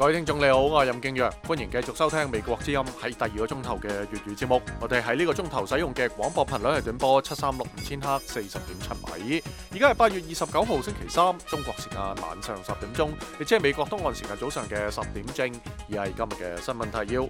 各位聽眾你好，我係任敬陽，歡迎繼續收聽美國之音喺第2個鐘頭嘅粵語節目。我哋喺呢個鐘頭使用嘅廣播頻率係短波7365000赫40.7米。而家係8月29號星期三，中國時間晚上10點鐘，亦即係美國東岸時間早上嘅10點正。而係今日嘅新聞提要。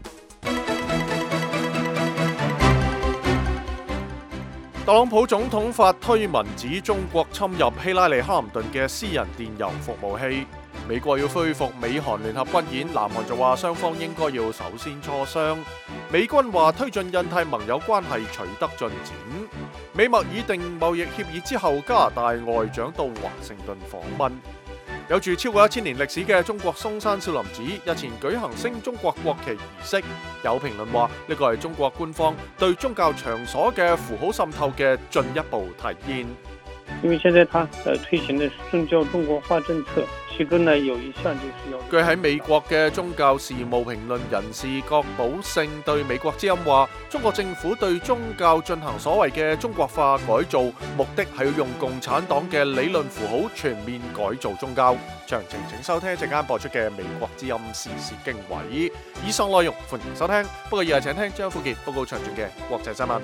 特朗普總統發推文指中國侵入希拉里克林頓嘅私人電郵服務器。美國要恢復美韓聯合軍演，南韓就話雙方應該要首先磋商。美軍話推進印太盟友關係取得進展。美墨擬定貿易協議之後，加拿大外長到華盛頓訪問。有住超過1000年歷史嘅中國嵩山少林寺日前舉行升中國國旗儀式，有評論話呢個係中國官方對宗教場所嘅符號滲透嘅進一步體現。因為現在他推行的宗教中國化政策，其中呢有一項就是要。據喺美國嘅宗教事務評論人士郭寶勝對美國之音話，中國政府對宗教進行所謂嘅中國化改造，目的係要用共產黨嘅理論符號全面改造宗教。詳情請收聽一陣間播出嘅美國之音時事經緯。以上內容歡迎收聽，不過以下請聽張富傑報告詳盡嘅國際新聞。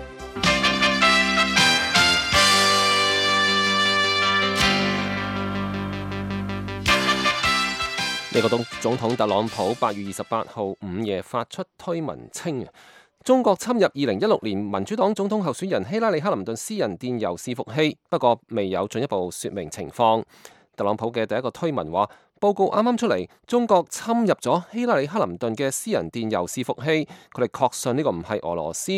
美國總統特朗普8月28號午夜發出推文稱，中國侵入2016年民主黨總統候選人希拉里克林頓私人電郵伺服器，不過未有進一步說明情況。特朗普嘅第一個推文話，報告啱啱出嚟，中國侵入咗希拉里克林頓嘅私人電郵伺服器，佢哋確信呢個唔係俄羅斯。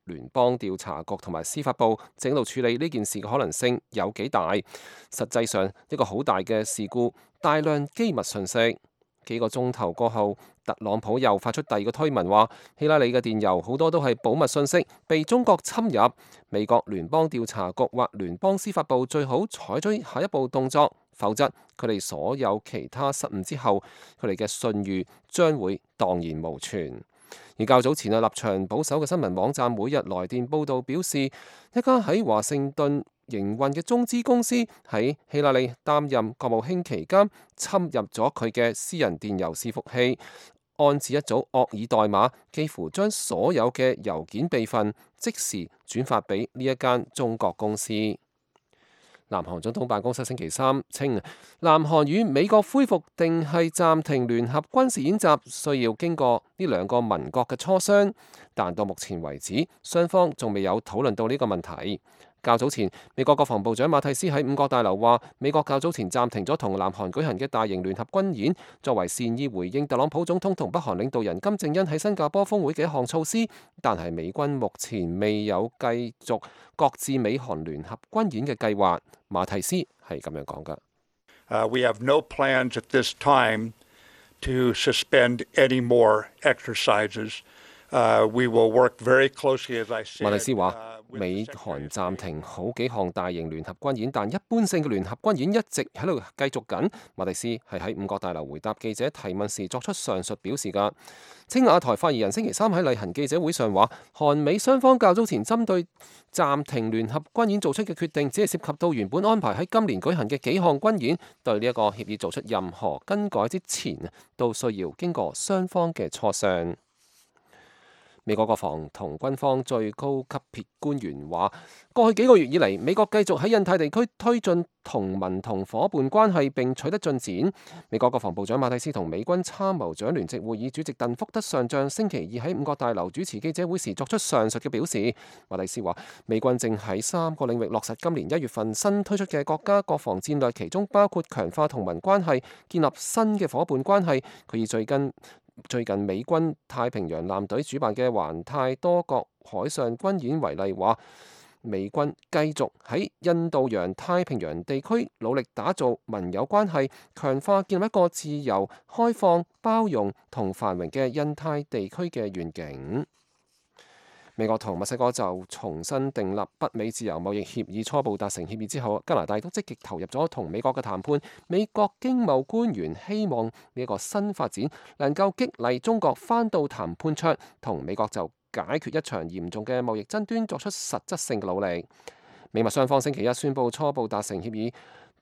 聯邦調查局同埋司法部正喺度處理呢件事嘅可能性有幾大？實際上一個好大嘅事故，大量機密信息。幾個鐘頭過後，特朗普又發出第二個推文話，希拉里嘅電郵好多都係保密信息，被中國侵入。美國聯邦調查局或聯邦司法部最好採取下一步動作，否則佢哋所有其他失誤之後，佢哋嘅信譽將會蕩然無存。而較早前立場保守嘅新聞網站每日來電報導表示，一家喺華盛頓營運嘅中資公司喺希拉里擔任國務卿期間侵入咗佢嘅私人電郵伺服器，安置一組惡意代碼，幾乎將所有嘅郵件備份即時轉發俾呢一間中國公司。南韓總統辦公室星期三稱，南韓與美國恢復定係暫停聯合軍事演習，需要經過呢兩個盟國嘅磋商，但到目前為止，雙方仲未有討論到呢個問題。較早前，美國國防部長馬蒂斯喺五角大樓話，美國較早前暫停咗同南韓舉行嘅大型聯合軍演，作為善意回應特朗普總統同北韓領導人金正恩喺新加坡峰會嘅一項措施。但係美軍目前未有繼續擱置美韓聯合軍演嘅計劃。馬蒂斯係咁樣講㗎。We have no plans at this time to suspend any more exercises. We will work very closely, as I said. 馬蒂斯話，美韓暫停好幾項大型聯合軍演，但一般性嘅聯合軍演一直喺度繼續緊。馬蒂斯係喺五角大樓回答記者提問時作出上述表示㗎。青瓦台發言人星期三喺例行記者會上話，韓美雙方較早前針對暫停聯合軍演做出嘅決定，只係涉及到原本安排喺今年舉行嘅幾項軍演，對呢一個協議做出任何更改之前，都需要經過雙方嘅磋商。美國國防同軍方最高級別官員話，過去幾個月以嚟，美國繼續喺印太地區推進同盟同伙伴關係並取得進展。美國國防部長馬蒂斯同美軍參謀長聯席會議主席鄧福德上將星期二喺五角大樓主持記者會時作出上述嘅表示。馬蒂斯話，美軍正喺3個領域落實今年1月份新推出嘅國家國防戰略，其中包括強化同盟關係、建立新嘅伙伴關係。佢以最近美軍太平洋艦隊主辦嘅環太多國海上軍演為例，話美軍繼續喺印度洋太平洋地區努力打造盟友關係，強化建立一個自由、開放、包容同繁榮嘅印太地區嘅願景。美國同墨西哥就重新訂立北美自由貿易協議初步達成協議之後，加拿大都積極投入咗同美國嘅談判。美國經貿官員希望呢一個新發展能夠激勵中國返到談判桌，同美國就解決一場嚴重嘅貿易爭端作出實質性嘅努力。美墨雙方星期一宣布初步達成協議。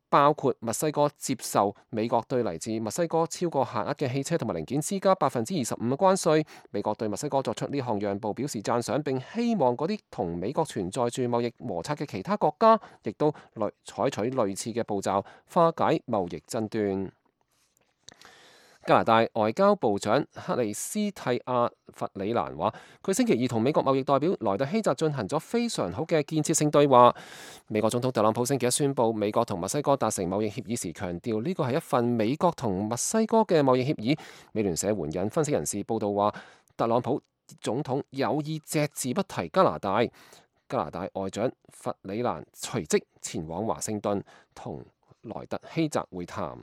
包括墨西哥接受美國對嚟自墨西哥超過限額嘅汽車同埋零件施加25%嘅關稅。美國對墨西哥作出呢項讓步表示讚賞，並希望嗰啲同美國存在住貿易摩擦嘅其他國家，亦都採取類似嘅步驟化解貿易爭端。加拿大外交部長克里斯蒂亞弗里蘭話，佢星期二同美國貿易代表萊特希澤進行咗非常好嘅建設性對話。美國總統特朗普星期一宣布美國同墨西哥達成貿易協議時，強調呢個係一份美國同墨西哥嘅貿易協議。美聯社援引分析人士報道話，特朗普總統有意隻字不提加拿大。加拿大外長弗里蘭隨即前往華盛頓同萊特希澤會談。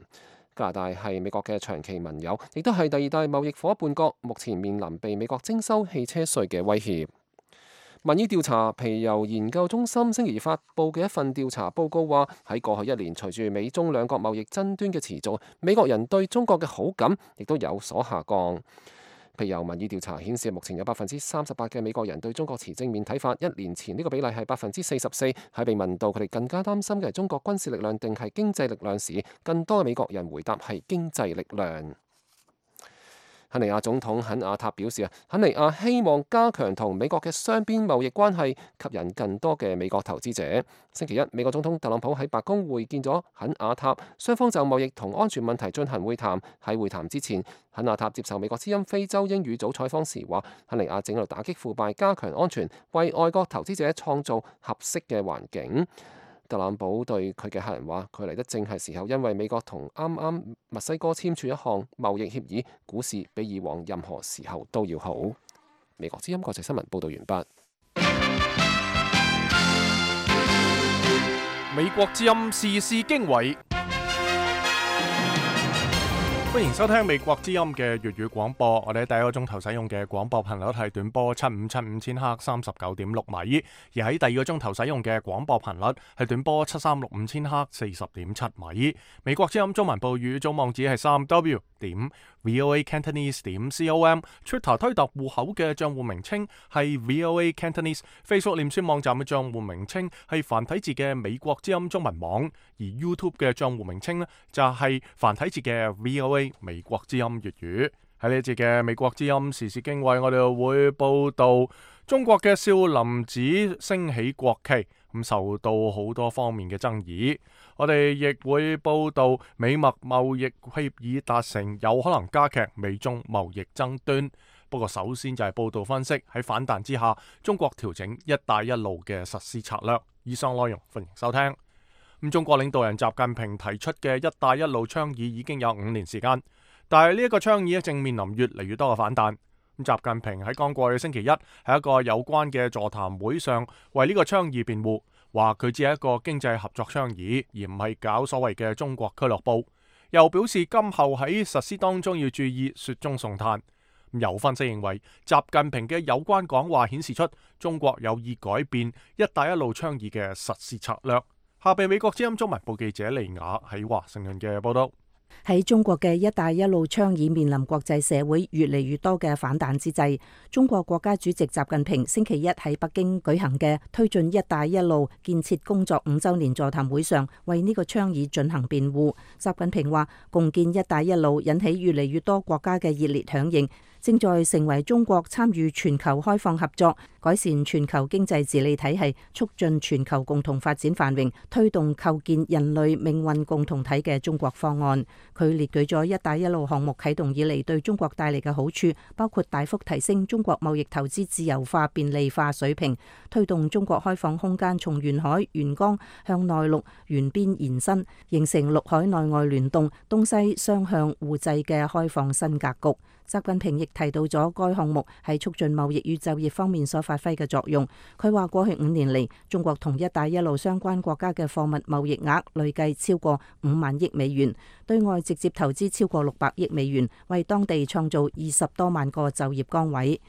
加拿大係美國嘅長期盟友，亦都係第二大貿易夥伴國，目前面臨被美國徵收汽車稅嘅威脅。民意調查皮尤研究中心星期二發布嘅一份調查報告話，喺過去一年，隨住美中兩國貿易爭端嘅持續，美國人對中國嘅好感亦都有所下降。皮尤民意調查顯示，目前有38%嘅美國人對中國持正面睇法，一年前呢個比例係44%。喺被問到佢哋更加擔心嘅係中國軍事力量定係經濟力量時，更多嘅美國人回答係經濟力量。肯尼亞總統肯亞塔表示，肯尼亞希望加強同美國嘅雙邊貿易關係，吸引更多嘅美國投資者。星期一，美國總統特朗普喺白宮會見咗肯亞塔，雙方就貿易同安全問題進行會談。喺會談之前，肯亞塔接受美國之音非洲英語組採訪時話，肯尼亞正喺度打擊腐敗，加強安全，為外國投資者創造合適嘅環境。特朗普對佢嘅客人話，佢嚟得正係時候，因為美國同啱啱墨西哥簽署一項貿易協議，股市比以往任何時候都要好。美國之音國際新聞報道完畢。美國之音時事經緯，歡迎收聽美國之音嘅粵語廣播。我哋喺第一個鐘頭使用嘅廣播頻率係短波7575千赫39.6米，而喺第二個鐘頭使用嘅廣播頻率係短波7365千赫40.7米。美國之音中文部語組網址係3w.voacantonese.com，Twitter 推特戶口嘅賬戶名稱係 VOA Cantonese，Facebook 臉書網站嘅賬戶名稱係繁體字嘅美國之音中文網，而 YouTube 嘅賬戶名稱呢就係繁體字嘅 VOA美國之音粵語。喺呢一節嘅美國之音時事經緯，我哋會報道中國嘅少林寺升起國旗，咁受到好多方面嘅爭議。我哋亦會報道美墨貿易協議達成，有可能加劇美中貿易爭端。不過首先就係報道分析喺反彈之下，中國調整一帶一路嘅實施策略。以上內容歡迎收聽。中國領導人習近平提出嘅一帶一路倡議已經有5年時間，但係呢一個倡議正面臨越嚟越多嘅反彈。習近平喺剛過去星期一喺一個有關嘅座談會上為呢個倡議辯護，話佢只係一個經濟合作倡議，而唔係搞所謂嘅中國俱樂部。又表示今後喺實施當中要注意雪中送炭。有分析認為，習近平嘅有關講話顯示出中國有意改變一帶一路倡議嘅實施策略。下邊美國之音中文部記者利雅喺華盛頓嘅報道。喺中國嘅一帶一路倡議面臨國際社會越嚟越多嘅反彈之際，中國國家主席習近平星期一喺北京舉行嘅推進一帶一路建設工作5週年座談會上，為呢個倡議進行辯護。習近平話，共建一帶一路引起越嚟越多國家嘅熱烈響應，正在成為中國參與全球開放合作、改善全球經濟治理體系、促進全球共同發展繁榮、推動構建人類命運共同體嘅中國方案。佢列舉咗一帶一路項目啟動以嚟對中國帶嚟嘅好處，包括大幅提升中國貿易投資自由化便利化水平，推動中國開放空間從沿海沿江向內陸沿邊延伸，形成陸海內外聯動、東西雙向互濟嘅開放新格局。習近平亦提到咗該項目喺促進貿易與就業方面所發揮嘅作用。佢話過去5年嚟，中國同一帶一路相關國家嘅貨物貿易額累計超過5萬億美元，對外直接投資超過600億美元，為當地創造20多萬個就業崗位。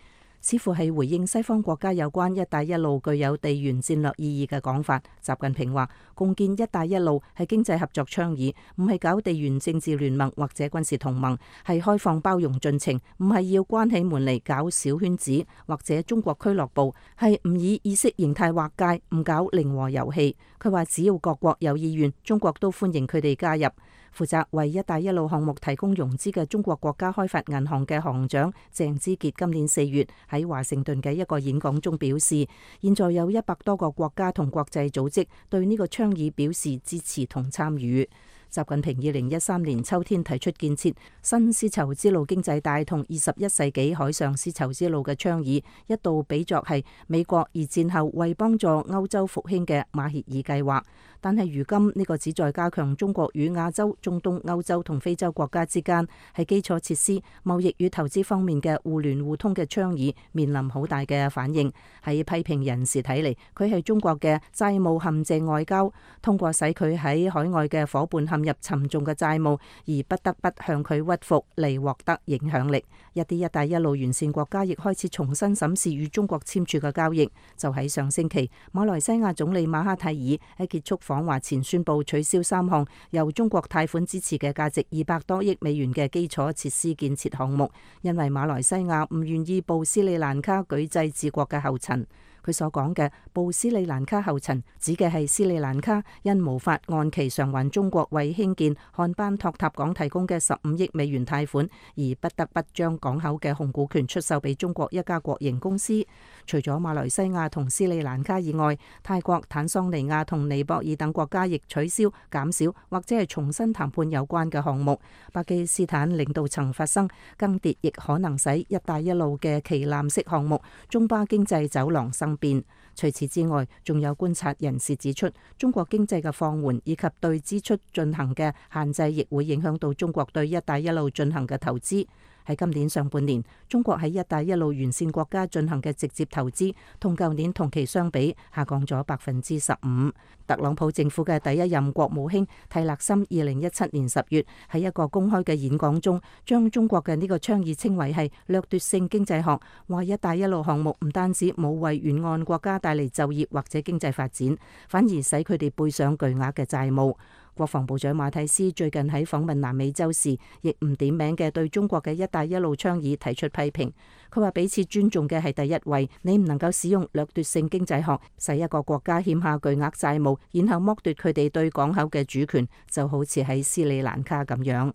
似乎係回應西方國家有關一帶一路具有地緣戰略意義嘅講法。習近平話，共建一帶一路係經濟合作倡議，唔係搞地緣政治聯盟或者軍事同盟，係開放包容進程，唔係要關起門嚟搞小圈子或者中國俱樂部，係唔以意識形態劃界，唔搞零和遊戲。佢話只要各國有意願，中國都歡迎佢哋加入。負責為一帶一路項目提供融資嘅中國國家開發銀行嘅行長鄭之傑今年4月喺華盛頓嘅一個演講中表示，現在有100多個國家同國際組織對呢個倡議表示支持同參與。習近平2013年秋天提出建設新絲綢之路經濟帶同21世紀海上絲綢之路嘅倡議，一度比作係美國二戰後為幫助歐洲復興嘅馬歇爾計劃。但係如今呢個旨在加強中國與亞洲、中東、歐洲同非洲國家之間喺基礎設施、貿易與投資方面嘅互聯互通嘅倡議，面臨好大嘅反應。喺批評人士睇嚟，佢係中國嘅債務陷阱外交，通過使佢喺海外嘅夥伴陷入沉重嘅債務，而不得不向佢屈服嚟獲得影響力。一啲一帶一路沿線國家亦開始重新審視與中國簽署嘅交易。就喺上星期，馬來西亞總理馬哈蒂爾喺結束訪華前宣布取消3項由中國貸款支持嘅價值200多億美元嘅基礎設施建設項目，因為馬來西亞唔願意步斯里蘭卡舉債治國嘅後塵。佢所講嘅步斯里蘭卡後塵，指嘅係斯里蘭卡因無法按期償還中國為興建漢班托塔港提供嘅15億美元貸款，而不得不將港口嘅控股權出售俾中國一家國營公司。除咗馬來西亞同斯里蘭卡以外，泰國、坦桑尼亞同尼泊爾等國家亦取消、減少或者係重新談判有關嘅項目。巴基斯坦領導層發生更迭，亦可能使一帶一路嘅旗艦式項目中巴經濟走廊生變。除此之外，仲有觀察人士指出，中國經濟嘅放緩以及對支出進行嘅限制，亦會影響到中國對一帶一路進行嘅投資。喺今年上半年，中國喺一帶一路沿線國家進行嘅直接投資，同舊年同期相比下降咗15%。特朗普政府嘅第一任國務卿蒂勒森2017年10月喺一個公開嘅演講中，將中國嘅呢個倡議稱為係掠奪性經濟學，話一帶一路項目唔單止冇為沿岸國家帶嚟就業或者經濟發展，反而使佢哋背上巨額嘅債務。國防部長馬蒂斯最近喺訪問南美洲時，亦唔點名嘅對中國嘅一帶一路倡議提出批評。佢話彼此尊重嘅係第一位，你唔能夠使用掠奪性經濟學使一個國家欠下巨額債務，然後剝奪佢哋對港口嘅主權，就好似喺斯里蘭卡咁樣。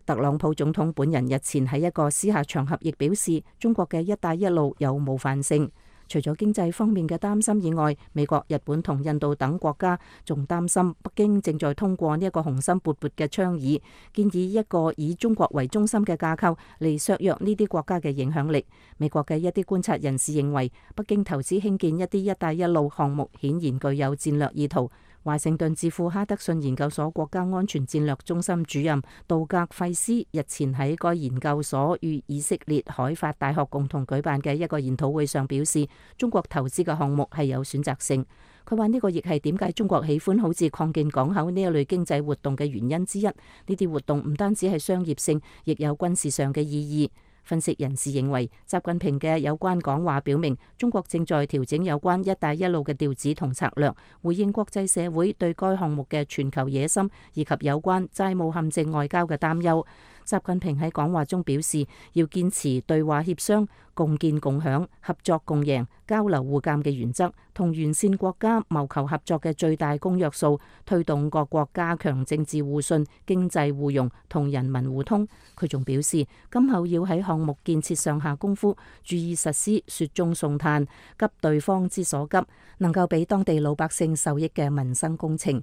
特朗普總統本人日前喺一個私下場合亦表示，中國嘅一帶一路有冒犯性。除咗經濟方面嘅擔心以外，美國、日本同印度等國家仲擔心北京正在通過呢一個雄心勃勃嘅倡議，建議一個以中國為中心嘅架構嚟削弱呢啲國家嘅影響力。美國嘅一啲觀察人士認為，北京投資興建一啲一帶一路項目顯然具有戰略意圖。華盛頓智庫哈德遜研究所國家安全戰略中心主任杜格費斯日前喺該研究所與以色列海法大學共同舉辦嘅一個研討會上表示，中國投資嘅項目係有選擇性。佢話呢個亦係點解中國喜歡好似擴建港口呢一類經濟活動嘅原因之一。呢啲活動唔單止係商業性，亦有軍事上嘅意義。分析人士認為，習近平嘅有關講話表明，中國正在調整有關一帶一路嘅調子同策略，回應國際社會對該項目嘅全球野心以及有關債務陷阱外交嘅擔憂。習近平喺講話中表示，要堅持對話協商、共建共享、合作共贏、交流互鑑嘅原則，同沿線國家謀求合作嘅最大公約數，推動各國加強政治互信、經濟互融同人民互通。佢仲表示，今後要喺項目建設上下功夫，注意實施雪中送炭、急對方之所急，能夠俾當地老百姓受益嘅民生工程。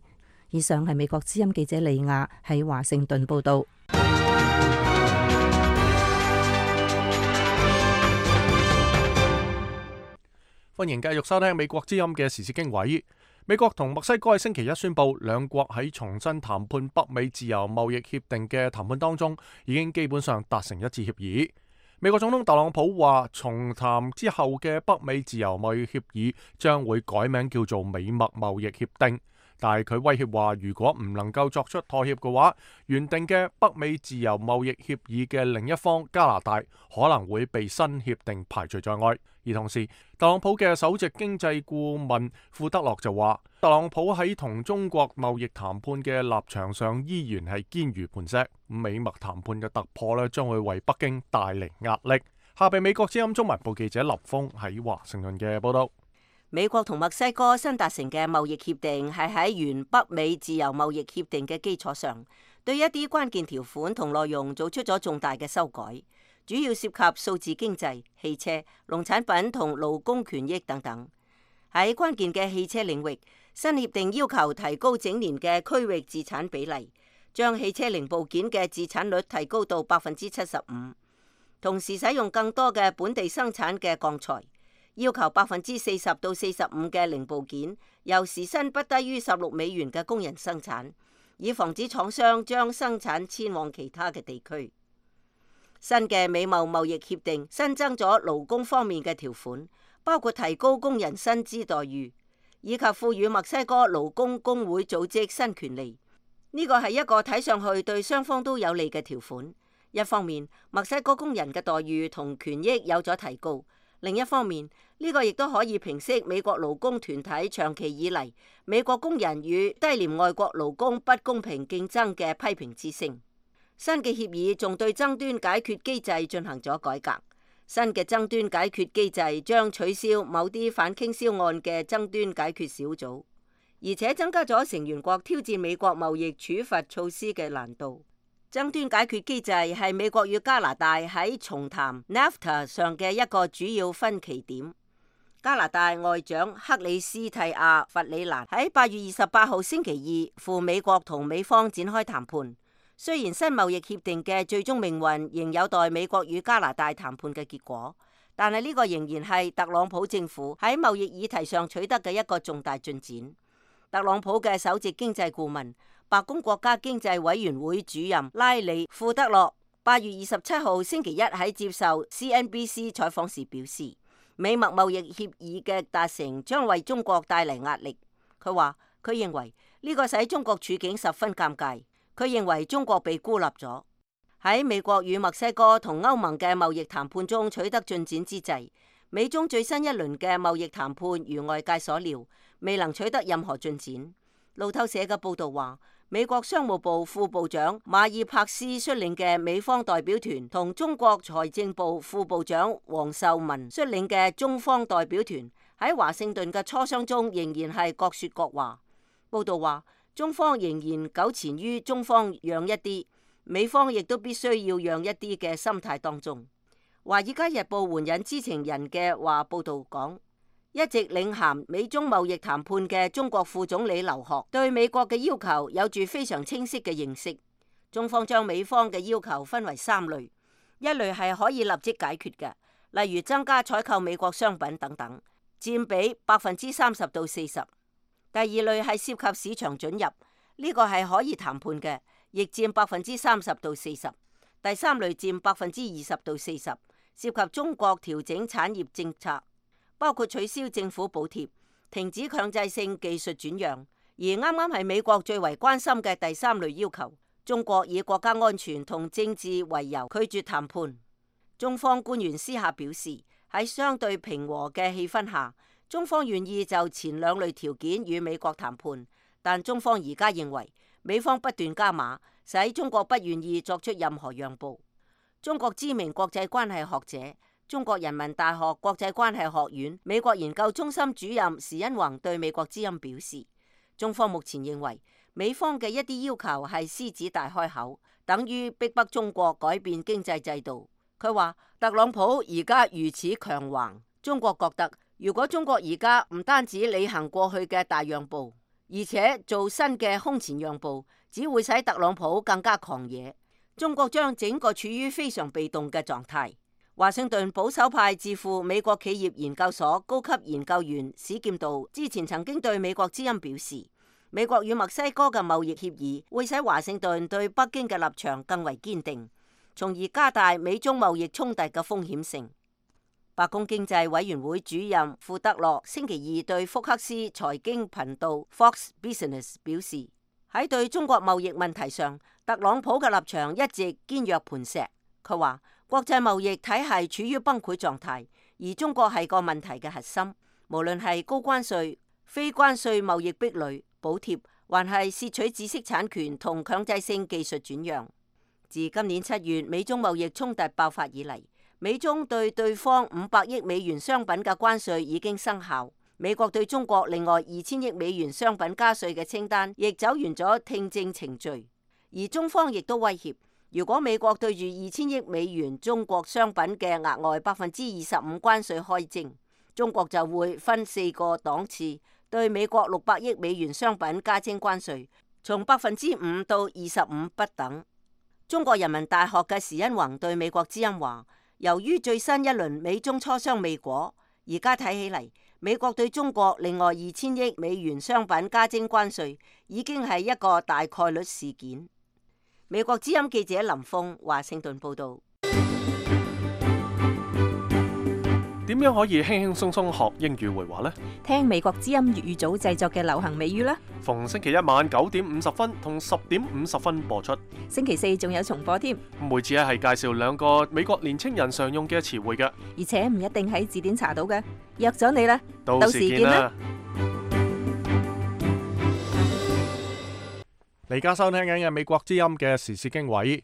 以上係美國之音記者李亞喺華盛頓報道。歡迎繼續收聽美國之音嘅時事經緯。美國同墨西哥喺星期一宣布，兩國喺重新談判北美自由貿易協定嘅談判當中，已經基本上達成一致協議。美國總統特朗普話，重談之後嘅北美自由貿易協議將會改名叫做美墨貿易協定。但係佢威脅話，如果唔能夠作出妥協嘅話，原定嘅北美自由貿易協議嘅另一方加拿大可能會被新協定排除在外。而同時，特朗普嘅首席經濟顧問庫德洛就話，特朗普喺同中國貿易談判嘅立場上依然係堅如磐石。美墨談判嘅突破咧，將會為北京帶嚟壓力。下邊美國之音中文部記者林峰喺華盛頓嘅報道。美國同墨西哥新達成嘅貿易協定係喺原北美自由貿易協定嘅基礎上，對一啲關鍵條款同內容做出咗重大嘅修改，主要涉及數字經濟、汽車、農產品同勞工權益等等。喺關鍵嘅汽車領域，新協定要求提高整年嘅區域自產比例，將汽車零部件嘅自產率提高到75%，同時使用更多嘅本地生產嘅鋼材。要求40%到45%嘅零部件由時薪不低於$16嘅工人生產，以防止廠商將生產遷往其他嘅地區。新嘅美貿貿易協定新增咗勞工方面嘅條款，包括提高工人薪資待遇，以及賦予墨西哥勞工工會組織新權利。呢個係一個睇上去對雙方都有利嘅條款。一方面，墨西哥工人嘅待遇同權益有咗提高。另一方面，呢個亦都可以平息美國勞工團體長期以嚟美國工人與低廉外國勞工不公平競爭嘅批評之聲。新嘅協議仲對爭端解決機制進行咗改革。新嘅爭端解決機制將取消某啲反傾銷案嘅爭端解決小組，而且增加咗成員國挑戰美國貿易處罰措施嘅難度。爭端解決機制係美國與加拿大喺重談 NAFTA 上嘅一個主要分歧點。加拿大外長克里斯蒂亞·弗里蘭喺8月28號星期二赴美國同美方展開談判。雖然新貿易協定嘅最終命運仍有待美國與加拿大談判嘅結果，但係呢個仍然係特朗普政府喺貿易議題上取得嘅一個重大進展。特朗普嘅首席經濟顧問、白宮國家經濟委員會主任拉里庫德洛8月27號星期一喺接受 CNBC 採訪時表示，美墨貿易協議嘅達成將為中國帶嚟壓力。佢話佢認為呢個使中國處境十分尷尬。佢認為中國被孤立咗。喺美國與墨西哥同歐盟嘅貿易談判中取得進展之際，美中最新一輪嘅貿易談判如外界所料，未能取得任何進展。路透社嘅報導話，美國商務部副部長馬爾帕斯率領嘅美方代表團同中國財政部副部長黃秀文率領嘅中方代表團喺華盛頓嘅磋商中仍然係各說各話。報導話，中方仍然糾纏於中方讓一啲，美方亦都必須要讓一啲嘅心態當中。華爾街日報援引知情人嘅話報導講，一直領銜美中貿易談判嘅中國副總理劉鶴對美國嘅要求有住非常清晰嘅認識。中方將美方嘅要求分為3類，一類係可以立即解決嘅，例如增加採購美國商品等等，佔比30%到40%。第二類係涉及市場准入，呢個係可以談判嘅，亦佔30%到40%。第三類佔20%到40%，涉及中國調整產業政策，包括取消政府補貼、停止強制性技術轉讓。而啱啱係美國最為關心嘅第3類要求，中國以國家安全同政治為由拒絕談判。中方官員私下表示，喺相對平和嘅氣氛下，中方願意就前2類條件與美國談判，但中方而家認為美方不斷加碼，使中國不願意作出任何讓步。中國知名國際關係學者、中國人民大學國際關係學院美國研究中心主任時殷弘對美國之音表示，中方目前認為美方嘅一啲要求係獅子大開口，等於逼迫中國改變經濟制度。佢話特朗普而家如此強橫，中國覺得如果中國而家唔單止履行過去嘅大讓步，而且做新嘅空前讓步，只會使特朗普更加狂野。中國將整個處於非常被動嘅狀態。華盛頓保守派智庫美國企業研究所高級研究員史劍道之前曾經對美國之音表示，美國與墨西哥嘅貿易協議會使華盛頓對北京嘅立場更為堅定，從而加大美中貿易衝突嘅風險性。白宮經濟委員會主任庫德洛星期二對福克斯財經頻道 Fox Business 表示，喺對中國貿易問題上，特朗普嘅立場一直堅若磐石。佢話國際貿易體系處於崩潰狀態，而中國係個問題嘅核心。無論係高關稅、非關稅貿易壁壘、補貼，還係竊取知識產權同強制性技術轉讓。自今年7月美中貿易衝突爆發以嚟，美中對對方500億美元商品嘅關稅已經生效。美國對中國另外2000億美元商品加稅嘅清單亦走完咗聽證程序，而中方亦都威脅，如果美國對住2000億美元中國商品嘅額外25%關稅開徵，中國就會分4個檔次對美國600億美元商品加徵關稅，從5%到25%不等。中國人民大學嘅時殷弘對美國之音話，由於最新一輪美中磋商未果，而家睇起嚟，美國對中國另外2000億美元商品加徵關稅已經係一個大概率事件。美國之音記者林峰華盛頓報道。點樣可以輕輕鬆鬆學英語會話呢？聽美國之音粵語組製作嘅流行美語啦。逢星期一晚9點50分同10點50分播出。星期四仲有重播添。每次係介紹2個美國年青人常用嘅詞彙嘅，而且唔一定喺字典查到嘅。約咗你啦，到時見啦。你而家收聽緊嘅美國之音嘅時事經緯。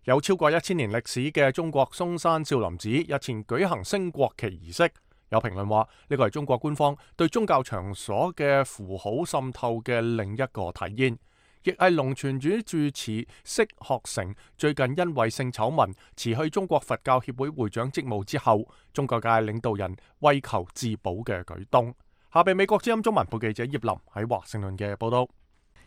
有超過1000年歷史嘅中國嵩山少林寺日前舉行升國旗儀式，有評論話呢個係中國官方對宗教場所嘅符號滲透嘅另一個體現，亦係龍泉寺住持釋學成最近因為性醜聞辭去中國佛教協會會長職務之後，宗教界領導人為求自保嘅舉動。下邊美國之音中文部記者葉林喺華盛頓嘅報道。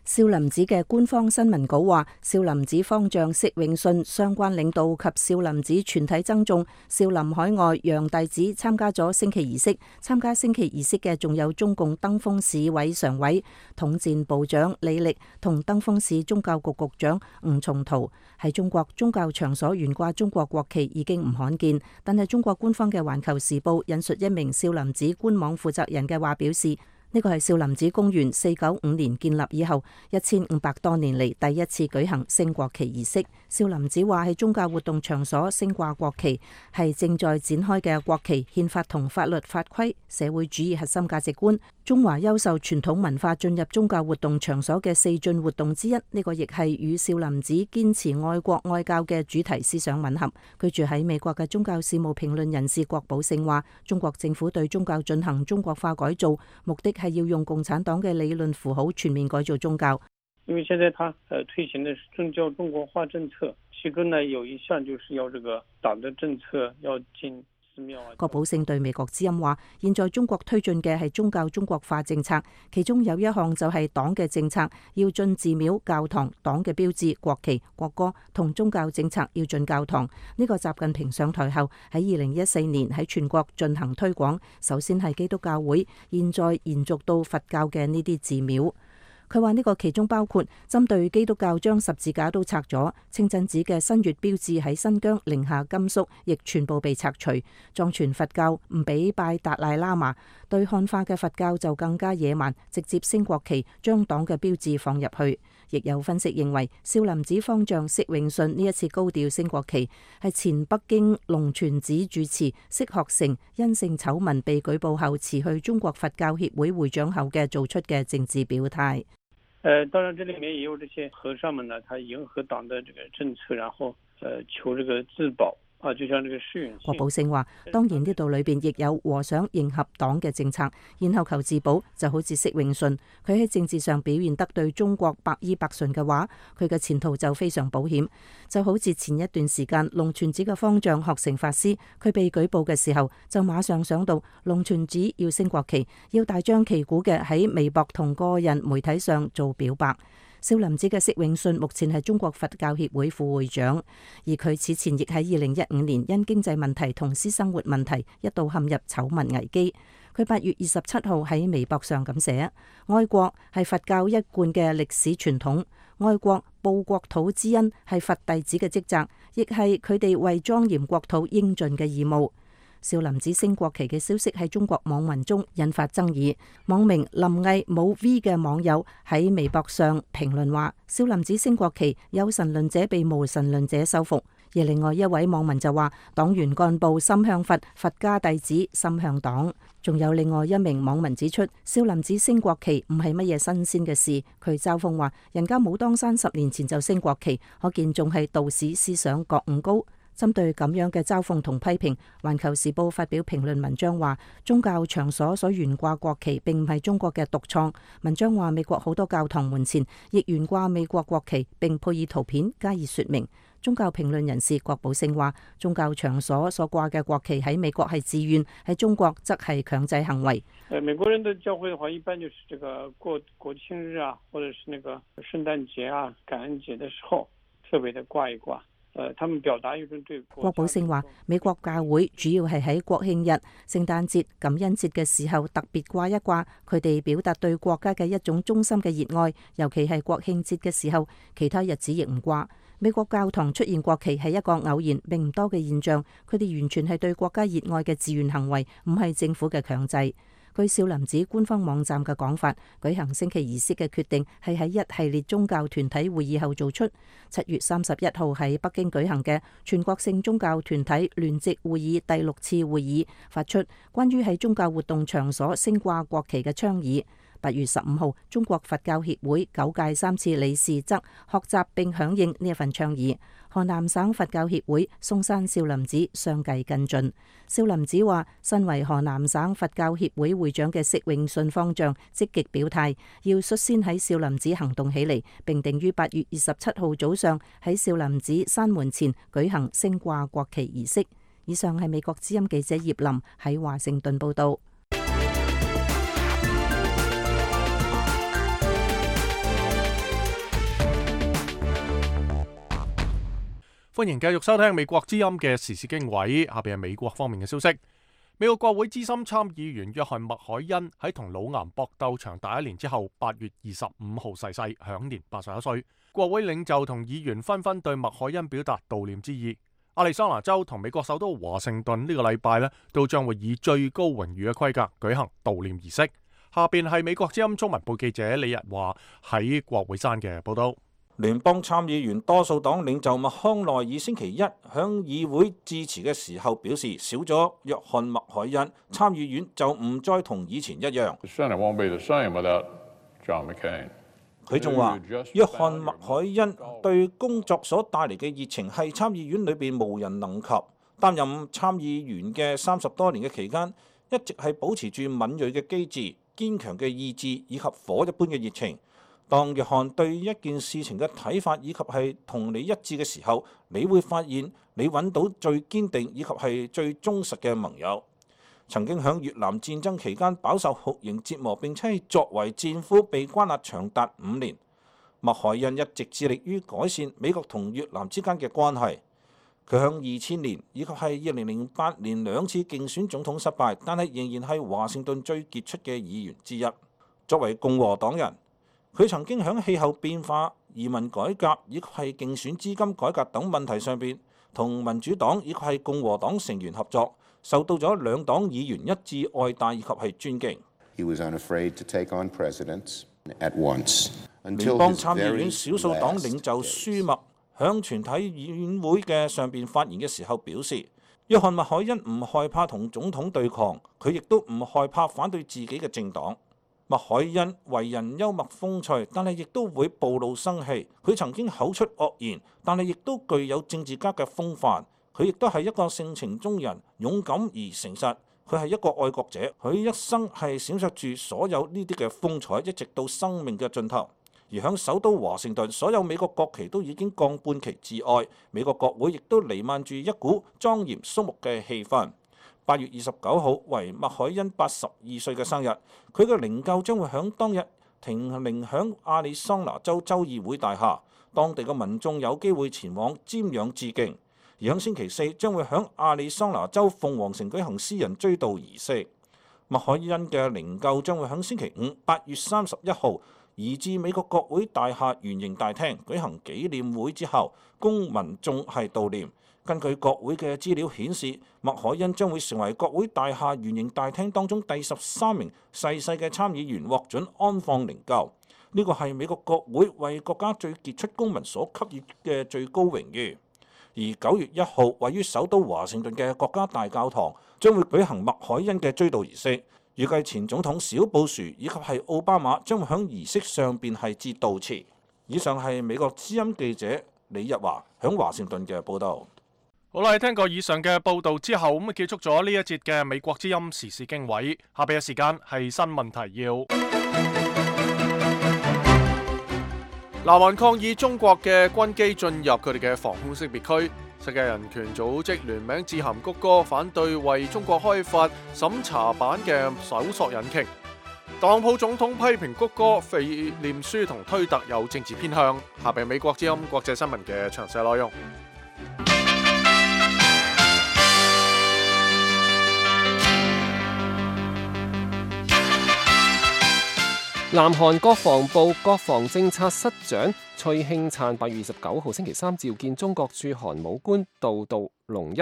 少林寺嘅官方新聞稿話，少林寺方丈釋永信、相關領導及少林寺全體僧眾、少林海外洋弟子參加咗升旗儀式。參加升旗儀式嘅仲有中共登封市委常委、統戰部長李力同登封市宗教局局長吳松濤。喺中國宗教場所懸掛中國國旗已經唔罕見，但係中國官方嘅《環球時報》引述一名少林寺官網負責人嘅話表示，呢個係少林寺公元495年建立以後1500多年嚟第一次舉行升國旗儀式。少林寺話喺宗教活動場所升掛國旗係正在展開嘅國旗、憲法同法律法規、社會主義核心價值觀、中華優秀傳統文化進入宗教活動場所嘅4進活動之一。呢個亦係與少林寺堅持愛國愛教嘅主題思想吻合。居住喺美國嘅宗教事務評論人士郭寶勝話，中國政府對宗教進行中國化改造，目的係要用共產黨嘅理論符號全面改造宗教。因為現在他推行的是政教中國化政策，其中呢有一項就是要這個黨的政策要進寺廟啊。郭寶勝對美國之音話，現在中國推進嘅係宗教中國化政策，其中有一項就係黨嘅政策要進寺廟、教堂，黨嘅標誌、國旗、國歌同宗教政策要進教堂。呢個習近平上台後喺2014年喺全國進行推廣，首先係基督教會，現在延續到佛教嘅呢啲寺廟。佢話呢個其中包括針對基督教將十字架都拆咗，清真寺嘅新月標誌喺新疆、寧夏、甘肅亦全部被拆除。藏傳佛教唔俾拜達賴喇嘛，對漢化嘅佛教就更加野蠻，直接升國旗，將黨嘅標誌放入去。亦有分析認為，少林寺方丈釋永信呢一次高調升國旗，係前北京龍泉寺住持釋學成因性醜聞被舉報後辭去中國佛教協會會長後嘅做出嘅政治表態。當然，這裏面也有這些和尚們呢，他迎合黨的這個政策，然後求這個自保啊，就像這個釋永信。郭寶勝話，當然呢度裏邊亦有和尚迎合黨嘅政策，然後求自保，就好似釋永信，佢喺政治上表現得對中國百依百順嘅話，佢嘅前途就非常保險。就好似前一段時間龍泉寺嘅方丈學成法師，佢被舉報嘅時候，就馬上想到龍泉寺要升國旗，要大張旗鼓嘅喺微博同個人媒體上做表白。少林寺嘅釋永信目前係中國佛教協會副會長，而佢此前亦喺2015年因經濟問題同私生活問題一度陷入醜聞危機。佢8月27號喺微博上咁寫：愛國係佛教一貫嘅歷史傳統，愛國報國土之恩係佛弟子嘅職責，亦係佢哋為莊嚴國土應盡嘅義務。少林寺升國旗嘅消息喺中國網民中引發爭議。網名林毅冇 V 嘅網友喺微博上評論話：少林寺升國旗，有神論者被無神論者收服。而另外一位網民就話：黨員幹部心向佛，佛家弟子心向黨。仲有另外一名網民指出，少林寺升國旗唔係乜嘢新鮮嘅事。佢嘲諷話：人家武當山10年前就升國旗，可見仲係道士思想覺悟高。針對咁樣嘅嘲諷同批評，《環球時報》發表評論文章話：宗教場所所懸掛國旗並唔係中國嘅獨創。文章話美國好多教堂門前亦懸掛美國國旗，並配以圖片加以說明。宗教評論人士郭寶勝話：宗教場所所掛嘅國旗喺美國係自願，喺中國則係強制行為。美國人的教會的話，一般就是這個過國慶日啊，或者是那個聖誕節啊、感恩節的時候，特別的掛一掛。他們表達一種對國。郭寶勝話：美國教會主要係喺國慶日、聖誕節、感恩節嘅時候特別掛一掛，佢哋表達對國家嘅一種衷心嘅熱愛。尤其係國慶節嘅時候，其他日子亦唔掛。美國教堂出現國旗係一個偶然並唔多嘅現象，佢哋完全係對國家熱愛嘅自願行為，唔係政府嘅強制。據少林寺官方網站嘅講法，舉行升旗儀式嘅決定係喺一系列宗教團體會議後做出。7月31號喺北京舉行嘅全國性宗教團體聯席會議第6次會議發出關於喺宗教活動場所升掛國旗嘅倡議。8月15號，中國佛教協會9屆3次理事則學習並響應呢一份倡議。河南省佛教協會嵩山少林寺相繼跟進。少林寺話，身為河南省佛教協會會長嘅釋永信方丈積極表態，要率先喺少林寺行動起嚟，並定於8月27號早上喺少林寺山門前舉行升掛國旗儀式。以上係美國之音記者葉林喺華盛頓報道。歡迎繼續收聽美國之音嘅時事經緯，下邊係美國方面嘅消息。美國國會資深參議員約翰麥凱恩喺同腦癌搏鬥長達1年之後，8月25號逝世，享年81歲。國會領袖同議員紛紛對麥凱恩表達悼念之意。亞利桑那州同美國首都華盛頓呢個禮拜都將會以最高榮譽嘅規格舉行悼念儀式。下邊係美國之音中文部記者李日華喺國會山嘅報道。聯邦參議員多數黨領袖麥康奈爾星期一向議會致辭嘅時候表示，少咗約翰麥凱恩，參議院就唔再同以前一樣。佢仲話，約翰麥凱恩對工作所帶嚟嘅熱情係參議院裏邊無人能及。擔任參議員嘅30多年嘅期間，一直係保持住敏銳嘅機智、堅強嘅意志以及火一般嘅熱情。當約翰對一件事情嘅睇法以及係同你一致嘅時候，你會發現你揾到最堅定以及係最忠實嘅盟友。曾經喺越南戰爭期間飽受酷刑折磨，並且作為戰俘被關押長達5年。麥凱恩一直致力於改善美國同越南之間嘅關係。佢喺2000年以及係2008年2次競選總統失敗，但係仍然係華盛頓最傑出嘅議員之一。作為共和黨人，佢曾經喺氣候變化、移民改革以及係競選資金改革等問題上邊，同民主黨以及係共和黨成員合作，受到咗兩黨議員一致愛戴以及係尊敬。聯邦參議院少數黨領袖舒默響全體議院會嘅上邊發言嘅時候表示，約翰麥凱恩唔害怕同總統對抗，佢亦都唔害怕反對自己嘅政黨。麥凱恩為人幽默風趣，但係亦都會暴露生氣。佢曾經口出惡言，但係亦都具有政治家嘅風範。佢亦都係一個性情中人，勇敢而誠實。佢係一個愛國者，佢一生係閃爍住所有呢啲嘅風采，一直到生命嘅盡頭。而響首都華盛頓，所有美國國旗都已經降半旗致哀，美國國會亦都瀰漫住一股莊嚴肅穆嘅氣氛。8月29號為麥凱恩82歲嘅生日，佢嘅靈柩將會響當日停靈響亞利桑那州州議會大廈，當地嘅民眾有機會前往瞻仰致敬。而響星期四將會響亞利桑那州鳳凰城舉行私人追悼儀式。麥凱恩嘅靈柩將會響星期五8月31號移至美國國會大廈圓形大廳舉行紀念會之後，供民眾係悼念。根據國會嘅資料顯示，麥凱恩將會成為國會大廈圓形大廳當中第13名逝世嘅參議員獲准安放靈柩。呢個係美國國會為國家最傑出公民所給予嘅最高榮譽。而9月1號，位於首都華盛頓嘅國家大教堂將會舉行麥凱恩嘅追悼儀式。預計前總統小布殊以及係奧巴馬將會喺儀式上邊係致悼詞。以上係美國之音記者李日華響華盛頓嘅報導。好啦，聽過以上嘅報道之後，咁結束咗呢一節嘅美國之音時事經緯。下邊嘅時間係新聞提要。南韓抗議中國嘅軍機進入佢哋嘅防空識別區。世界人權組織聯名致函谷歌，反對為中國開發審查版嘅搜索引擎。特朗普總統批評谷歌、腓臉書同推特有政治偏向。下邊美國之音國際新聞嘅詳細內容。南韓國防部國防政策室長崔興燦8月29號星期三召見中國駐韓武官杜杜龍一，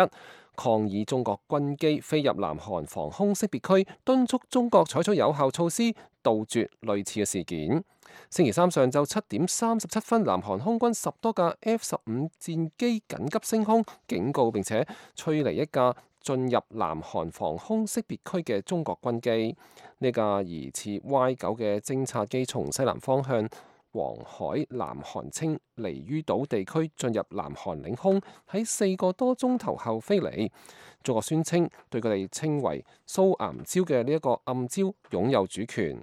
抗議中國軍機飛入南韓防空識別區，敦促中國採取有效措施杜絕類似嘅事件。星期三上晝7點37分，南韓空軍10多架 F-15戰機緊急升空，警告並且驅離一架進入南韓防空識別區嘅中國軍機。呢架疑似 Y9 嘅偵察機從西南方向黃海南韓清離於島地區進入南韓領空，喺4個多鐘頭後飛離。中國宣稱對佢哋稱為蘇岩礁嘅呢一個暗礁擁有主權。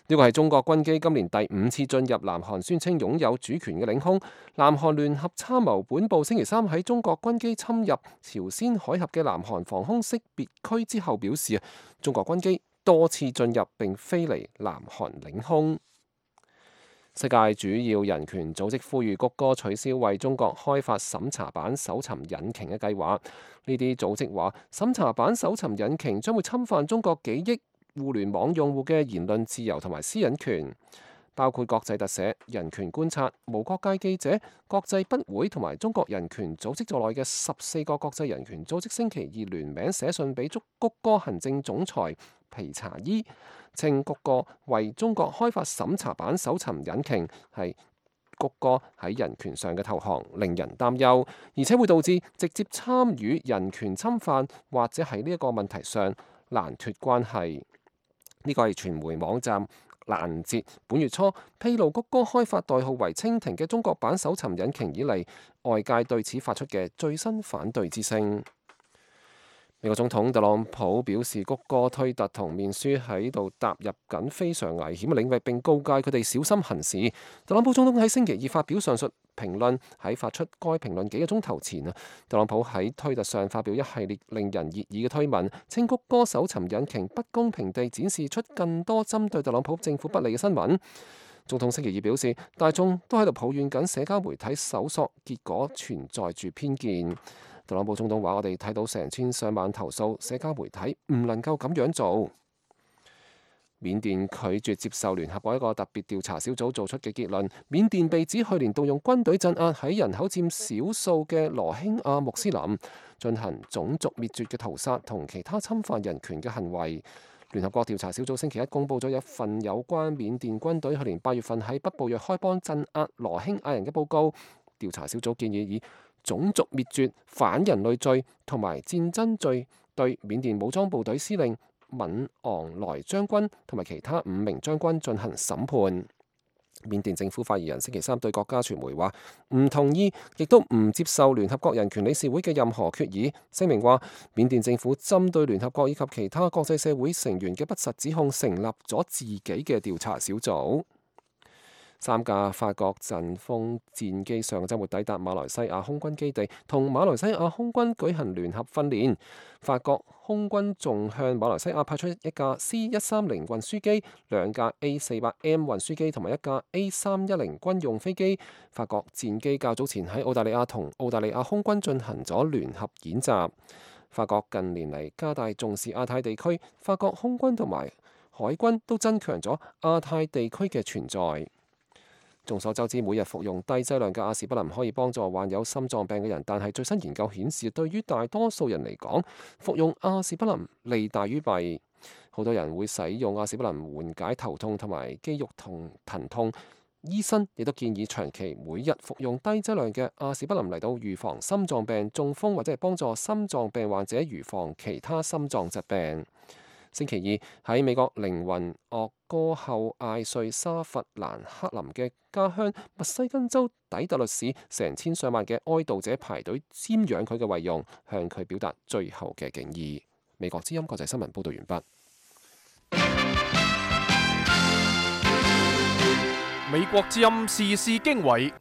呢個係中國軍機今年第5次進入南韓宣稱擁有主權嘅領空。南韓聯合參謀本部星期三喺中國軍機侵入朝鮮海峽嘅南韓防空識別區之後表示，中國軍機多次進入並飛離南韓領空。世界主要人權組織呼籲谷歌取消為中國開發審查版搜尋引擎嘅計劃。呢啲組織話，審查版搜尋引擎將會侵犯中國幾億互聯網用戶嘅言論自由同埋私隱權，包括國際特赦、人權觀察、無國界記者、國際不會同埋中國人權組織在內嘅14個國際人權組織星期二聯名寫信俾谷歌行政總裁皮查伊，稱谷歌為中國開發審查版搜尋引擎係谷歌喺人權上嘅投降，令人擔憂，而且會導致直接參與人權侵犯或者喺呢一個問題上難脫關係。呢個係傳媒網站攔截本月初披露谷歌開發代號為蜻蜓嘅中國版搜尋引擎以嚟，外界對此發出嘅最新反對之聲。美國總統特朗普表示，谷歌、推特同面書喺度踏入緊非常危險嘅領域，並告誡佢哋小心行事。特朗普總統喺星期二發表上述評論，喺發出該評論幾個鐘頭前特朗普喺推特上發表一系列令人熱議嘅推文，稱谷歌搜尋引擎不公平地展示出更多針對特朗普政府不利嘅新聞。總統星期二表示，大眾都喺度抱怨緊社交媒體搜索結果存在住偏見。特朗普總統話：我哋睇到成千上萬投訴，社交媒體唔能夠咁樣做。緬甸拒絕接受聯合國一個特別調查小組做出嘅結論。緬甸被指去年動用軍隊鎮壓喺人口佔少數嘅羅興亞穆斯林，進行種族滅絕嘅屠殺同其他侵犯人權嘅行為。聯合國調查小組星期一公佈咗一份有關緬甸軍隊去年8月份喺北部若開邦鎮壓羅興亞人嘅報告。調查小組建議以種族滅絕、反人類罪同埋戰爭罪對緬甸武裝部隊司令敏昂萊將軍同埋其他5名將軍進行審判。緬甸政府發言人星期三對國家傳媒話，唔同意亦都唔接受聯合國人權理事會嘅任何決議。聲明話，緬甸政府針對聯合國以及其他國際社會成員嘅不實指控，成立咗自己嘅調查小組。3架法國陣風戰機上週末抵達馬來西亞空軍基地，同馬來西亞空軍舉行聯合訓練。法國空軍仲向馬來西亞派出一架 C-130運輸機、2架 A-400M 運輸機同埋一架 A-310軍用飛機。法國戰機較早前喺澳大利亞同澳大利亞空軍進行咗聯合演習。法國近年嚟加大重視亞太地區，法國空軍同埋海軍都增強咗亞太地區嘅存在。眾所周知，每日服用低劑量嘅阿士匹林可以幫助患有心臟病嘅人，但係最新研究顯示，對於大多數人嚟講，服用阿士匹林利大於弊。好多人會使用阿士匹林緩解頭痛同埋肌肉疼痛，醫生亦都建議長期每日服用低劑量嘅阿士匹林嚟到預防心臟病、中風或者係幫助心臟病患者預防其他心臟疾病。星期二喺美國靈魂樂歌后艾瑞莎弗蘭克林嘅家鄉密西根州底特律市，成千上萬嘅哀悼者排隊瞻仰佢嘅遺容，向佢表達最後嘅敬意。美國之音國際新聞報道完畢。美國之音時事經緯。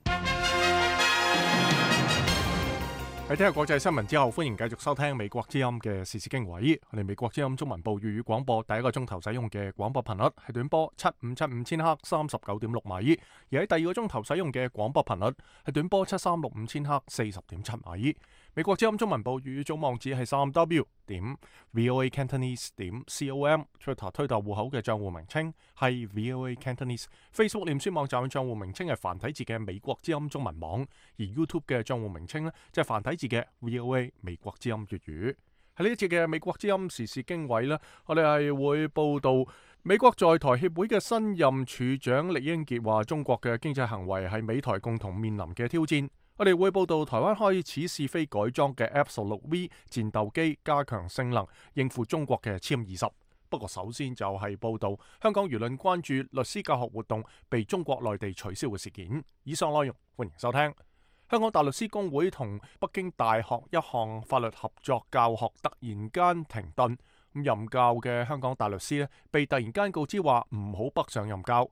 喺聽日國際新聞之後，歡迎繼續收聽美國之音嘅時事經緯。我哋美國之音中文部粵語廣播第一個鐘頭使用嘅廣播頻率係短波7575千赫39.6米，而喺第二個鐘頭使用嘅廣播頻率係短波7365千赫40.7米。美國之音中文部粵語總網址係3w.voacantonese.com，Twitter 推特戶口嘅賬戶名稱係 VOA Cantonese，Facebook 臉書網站嘅賬戶名稱係繁體字嘅美國之音中文網，而 YouTube 嘅賬戶名稱呢，即係繁體字嘅 VOA 美國之音粵語。喺呢一節嘅美國之音時事經緯呢，我哋係會報道美國在台協會嘅新任處長酈英傑話，中國嘅經濟行為係美台共同面臨嘅挑戰。我哋會報道台灣開始試飛改裝嘅 F-16V 戰鬥機，加強性能應付中國嘅殲20。不過首先就係報道香港輿論關注律師教學活動被中國內地取消嘅事件。以上內容歡迎收聽。香港大律師公會同北京大學一項法律合作教學突然間停頓，任教嘅香港大律師被突然間告知話唔好北上任教。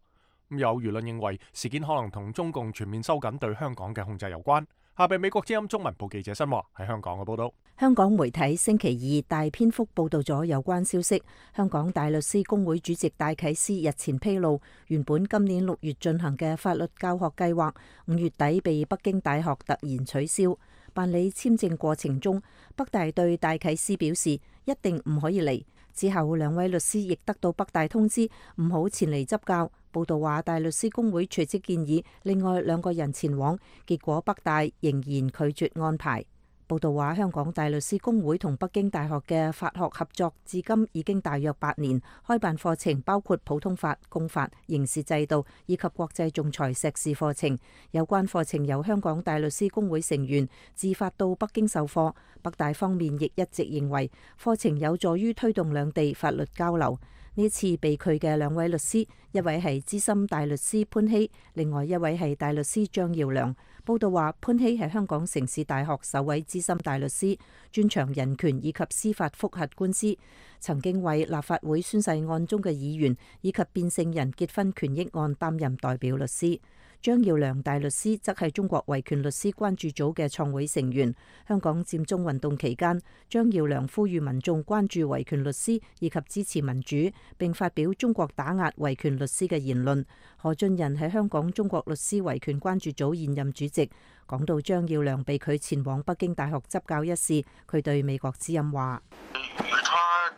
有輿論認為事件可能同中共全面收緊對香港嘅控制有關。下邊美國之音中文部記者新華喺香港嘅報道。香港媒體星期二大篇幅報道咗有關消息。香港大律師公會主席戴啟思日前披露，原本今年6月進行嘅法律教學計劃5月底被北京大學突然取消。辦理簽證過程中，北大對戴啟思表示一定唔可以嚟。之後2位律師亦得到北大通知唔好前嚟執教。報道話大律師公會隨即建議另外2個人前往，結果北大仍然拒絕安排。報道話香港大律師公會同北京大學嘅法學合作至今已經大約8年，開辦課程包括普通法、公法、刑事制度以及國際仲裁碩士課程。有關課程由香港大律師公會成員自發到北京授課。北大方面亦一直認為課程有助於推動兩地法律交流。呢次被拒嘅2位律師，一位係資深大律師潘希，另外一位係大律師張耀良。報道話潘希係香港城市大學首位資深大律師，專長人權以及司法覆核官司，曾經為立法會宣誓案中嘅議員以及變性人結婚權益案擔任代表律師。張耀良大律師則係中國維權律師關注組嘅創會成員。香港佔中運動期間，張耀良呼籲民眾關注維權律師以及支持民主，並發表中國打壓維權律師嘅言論。何俊仁係香港中國律師維權關注組現任主席，講到張耀良被拒前往北京大學執教一事，佢對美國之音話：與他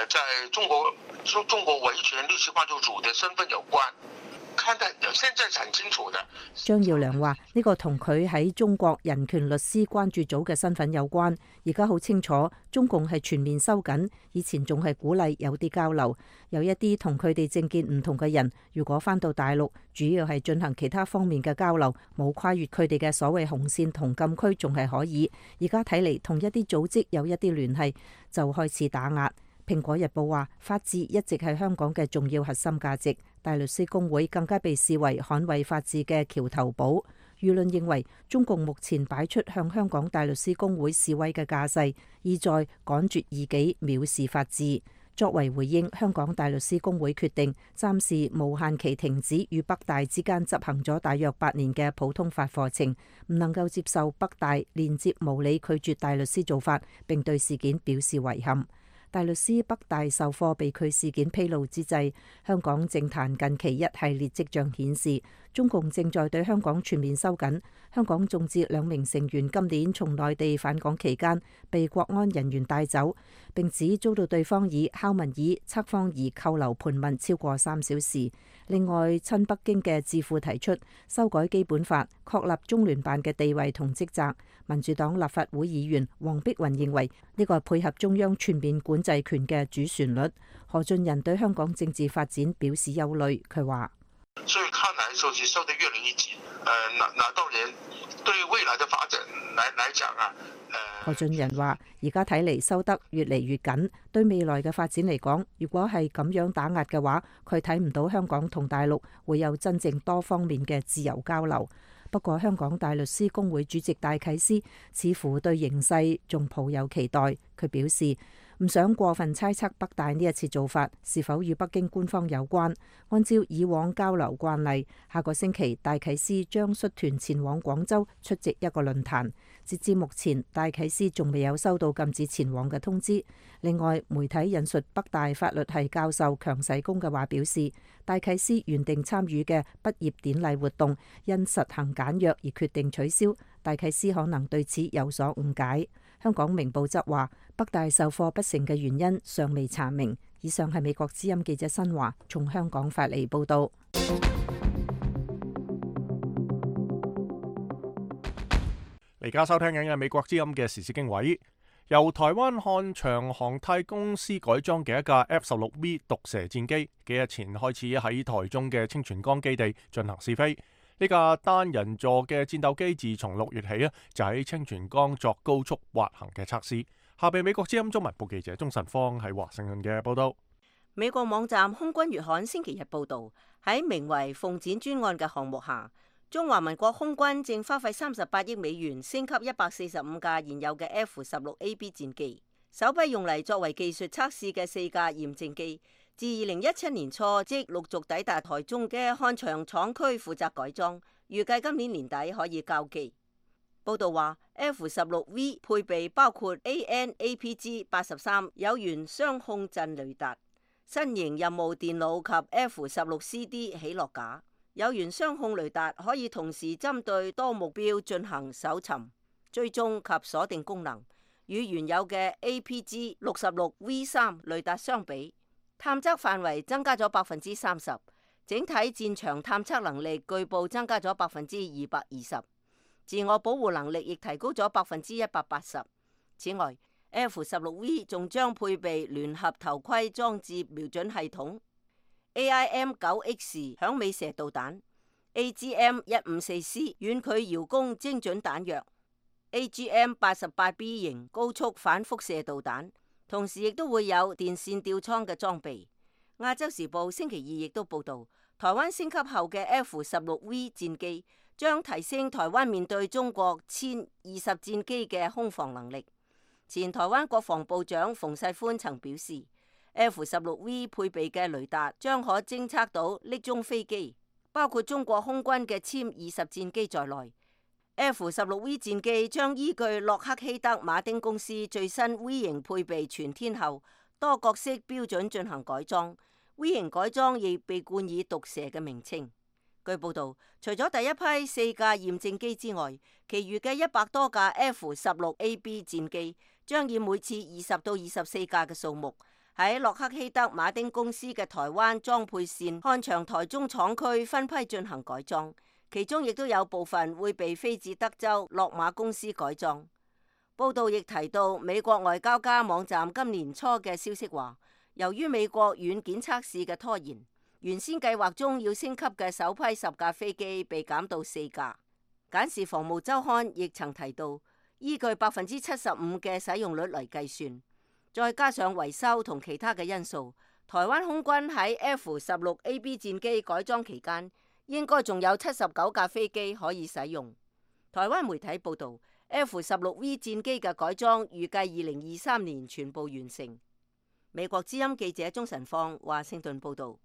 在中國維權律師關注組的身份有關。現在是很清楚的。張耀良話：呢個同佢喺中國人權律師關注組嘅身份有關。而家好清楚，中共係全面收緊，以前仲係鼓勵有啲交流，有一啲同佢哋政見唔同嘅人，如果返到大陸，主要係進行其他方面嘅交流，冇跨越佢哋嘅所謂紅線同禁區，仲係可以。而家睇嚟，同一啲組織有一啲聯繫，就開始打壓。蘋果日報話，法治一直係香港嘅重要核心價值，大律師公會更加被視為捍衛法治嘅橋頭堡。輿論認為，中共目前擺出向香港大律師公會示威嘅架勢，意在趕絕異己，藐視法治。作為回應，香港大律師公會決定暫時無限期停止與北大之間執行咗大約8年嘅普通法課程，唔能夠接受北大連接無理拒絕大律師做法，並對事件表示遺憾。大律師北大授課被拒事件披露之際，香港政壇近期一系列跡象顯示，中共正在對香港全面收緊。香港眾志2名成員今年從內地返港期間被國安人員帶走，並指遭到對方以敲門椅、測謊儀扣留盤問超過3小時。另外，親北京嘅智庫提出修改基本法，確立中聯辦嘅地位同職責。民主黨立法會議員黃碧雲認為呢個係配合中央全面管制權嘅主旋律。何俊仁對香港政治發展表示憂慮，佢話：所以看來收緊收得越來越緊，那當然對未來的發展來講啊。何俊仁話：而家睇嚟收得越嚟越緊，對未來嘅發展嚟講，如果係咁樣打壓嘅話，佢睇唔到香港同大陸會有真正多方面嘅自由交流。不過，香港大律師公會主席戴啟思似乎對形勢仲抱有期待。佢表示唔想過分猜測北大呢一次做法是否與北京官方有關。按照以往交流慣例，下個星期戴啟思將率團前往廣州出席一個論壇。截至目前，戴啟思仲未有收到禁止前往嘅通知。另外，媒體引述北大法律系教授強世功嘅話表示，戴啟思原定參與嘅畢業典禮活動因實行簡約而決定取消。戴啟思可能對此有所誤解。香港明報則話，北大授課不成嘅原因尚未查明。以上係美國之音記者新華從香港發嚟報道。而家收聽緊嘅美國之音嘅時事經緯，由台灣漢翔航太公司改裝嘅一架 F-16V 毒蛇戰機，幾日前開始喺台中嘅清泉崗基地進行試飛。呢架單人座嘅戰鬥機自從6月起就喺清泉崗作高速滑行嘅測試。下邊美國之音中文部記者鍾晨芳喺華盛頓嘅報道。美國網站空軍月刊星期日報道，喺名為鳳展專案嘅項目下，中華民國空軍正花費38億美元升級145架現有嘅 F-16AB 戰機，首批用嚟作為技術測試嘅4架驗證機，自2017年初即陸續抵達台中嘅漢翔廠區負責改裝，預計今年年底可以交機。報道話 F-16V 配備包括 AN/APG-83 有源雙控陣雷達、新型任務電腦及 F-16CD 起落架。有源雙控雷達可以同時針對多目標進行搜尋、追蹤及鎖定功能，與原有嘅 APG-66V3 雷達相比，探測範圍增加咗30%，整體戰場探測能力據報增加咗220%，自我保護能力亦提高咗180%。此外 ，F-16V 仲將配備聯合頭盔裝置瞄準系統、AIM-9X 響尾蛇導彈、AGM-154C 遠距遙攻精準彈藥、AGM-88B 型高速反輻射導彈，同時亦都會有電線吊艙嘅裝備。亞洲時報星期二亦都報道，台灣升級後嘅 F-16V 戰機將提升台灣面對中國殲20戰機嘅空防能力。前台灣國防部長馮世寬曾表示，F-16V 配備嘅雷達將可偵測到匿蹤飛機，包括中國空軍嘅殲20戰機在內。F-16V 戰機將依據洛克希德馬丁公司最新 V 型配備全天候多角色標準進行改裝。V 型改裝亦被冠以毒蛇嘅名稱。據報道，除咗第一批4架驗證機之外，其餘嘅100多架 F-16AB 戰機將以每次20到24架嘅數目，喺洛克希德馬丁公司嘅台灣裝配線漢翔台中廠區分批進行改裝，其中亦都有部分會被飛至德州洛馬公司改裝。報道亦提到，美國外交家網站今年初嘅消息話，由於美國軟件測試嘅拖延，原先計劃中要升級嘅首批10架飛機被減到4架。簡氏防務週刊亦曾提到，依據75%嘅使用率嚟計算，再加上維修同其他嘅因素，台灣空軍喺 F-16AB 戰機改裝期間，應該仲有79架飛機可以使用。台灣媒體報導，F-16V 戰機嘅改裝預計2023年全部完成。美國之音記者鍾晨放華盛頓報導。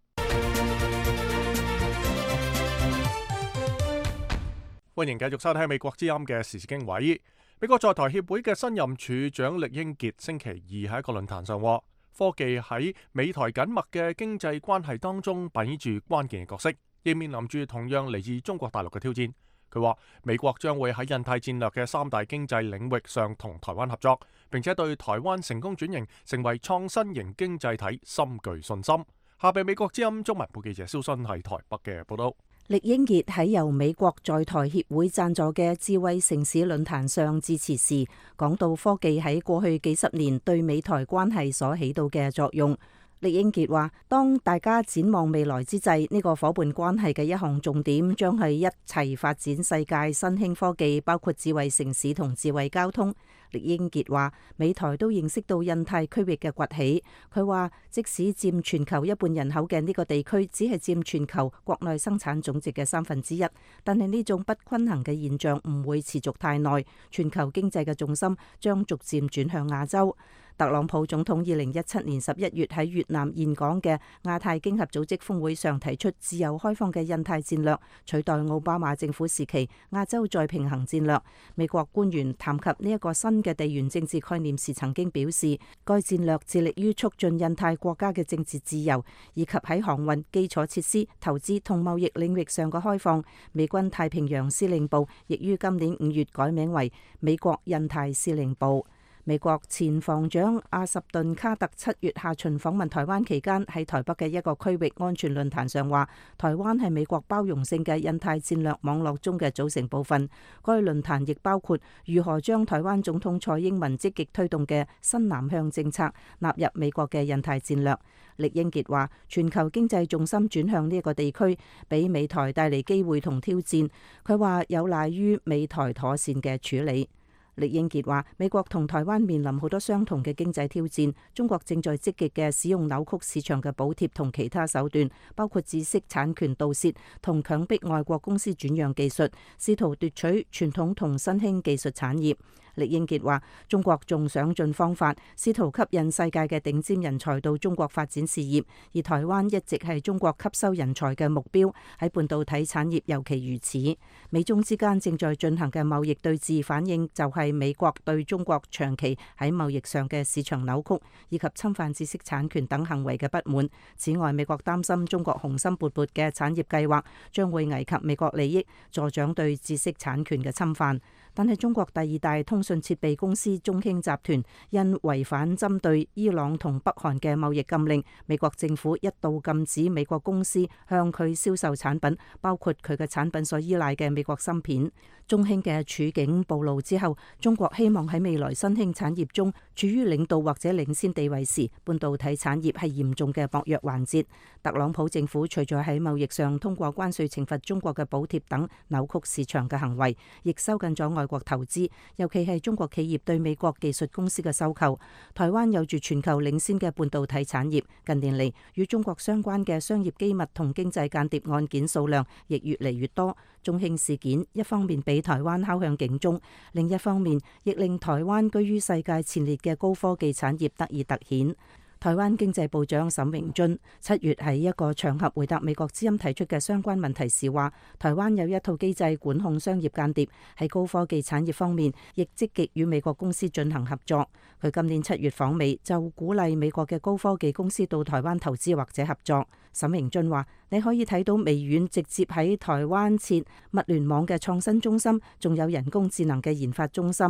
歡迎繼續收聽美國之音嘅時事經緯。美國在台協會嘅新任處長酈英傑星期二喺一個論壇上話，科技喺美台緊密嘅經濟關係當中扮演住關鍵嘅角色。亦面臨住同樣嚟自中國大陸嘅挑戰。佢話美國將會喺印太戰略嘅3大經濟領域上同台灣合作，並且對台灣成功轉型成為創新型經濟體深具信心。下邊美國之音中文部記者蕭新喺台北嘅報道。酈英傑喺由美國在台協會贊助嘅智慧城市論壇上致辭時，講到科技喺過去幾十年對美台關係所起到嘅作用。酈英傑話：當大家展望未來之際，呢個夥伴關係嘅一項重點將係一齊發展世界新興科技，包括智慧城市同智慧交通。酈英傑話：美台都認識到印太區域嘅崛起。佢話：即使佔全球1半人口嘅呢個地區，只係佔全球國內生產總值嘅1/3，但係呢種不均衡嘅現象唔會持續太耐。全球經濟嘅重心將逐漸轉向亞洲。特朗普總統2017年11月喺越南演講嘅亞太經合組織峰會上提出自由開放嘅印太戰略，取代奧巴馬政府時期亞洲再平衡戰略。美國官員談及呢一個新嘅地緣政治概念時，曾經表示，該戰略致力於促進印太國家嘅政治自由，以及喺航運、基礎設施、投資同貿易領域上嘅開放。美軍太平洋司令部亦於今年5月改名為美國印太司令部。美國前防長阿什頓卡特7月下旬訪問台灣期間，喺台北嘅一個區域安全論壇上話，台灣係美國包容性嘅印太戰略網絡中嘅組成部分。該論壇亦包括如何將台灣總統蔡英文積極推動嘅新南向政策納入美國嘅印太戰略。酈英傑話：全球經濟重心轉向呢一個地區，俾美台帶嚟機會同挑戰。佢話有賴於美台妥善嘅處理。酈英傑話：美國同台灣面臨好多相同嘅經濟挑戰，中國正在積極嘅使用扭曲市場嘅補貼同其他手段，包括知識產權盜竊同強迫外國公司轉讓技術，試圖奪取傳統同新興技術產業。酈英傑話：中國仲想盡方法，試圖吸引世界嘅頂尖人才到中國發展事業，而台灣一直係中國吸收人才嘅目標，喺半導體產業尤其如此。美中之間正在進行嘅貿易對峙，反映就係美國對中國長期喺貿易上嘅市場扭曲以及侵犯知識產權等行為嘅不滿。此外，美國擔心中國雄心勃勃嘅產業計劃將會危及美國利益，助長對知識產權嘅侵犯。但係中國第2大通訊設備公司中興集團因違反針對伊朗同北韓嘅貿易禁令，美國政府一度禁止美國公司向佢銷售產品，包括佢嘅產品所依賴嘅美國芯片。中興嘅處境暴露之後，中國希望喺未來新興產業中處於領導或者領先地位時，半導體產業係嚴重嘅薄弱環節。特朗普政府除咗喺貿易上通過關稅懲罰中國嘅補貼等扭曲市場嘅行為，亦收緊咗外國投資，尤其係中國企業對美國技術公司嘅收購。台灣有住全球領先嘅半導體產業，近年嚟與中國相關嘅商業機密同經濟間諜案件數量亦越嚟越多。中興事件一方面俾台灣敲響警鐘，另一方面亦令台灣居於世界前列嘅高科技產業得以突顯。台灣經濟部長沈榮津7月喺一個場合回答美國之音提出嘅相關問題時話，台灣有一套機制管控商業間諜，喺高科技產業方面亦積極與美國公司進行合作。佢今年7月訪美，就鼓勵美國嘅高科技公司到台灣投資或者合作。沈榮津話：你可以睇到微軟直接喺台灣設物聯網嘅創新中心，仲有人工智能嘅研發中心。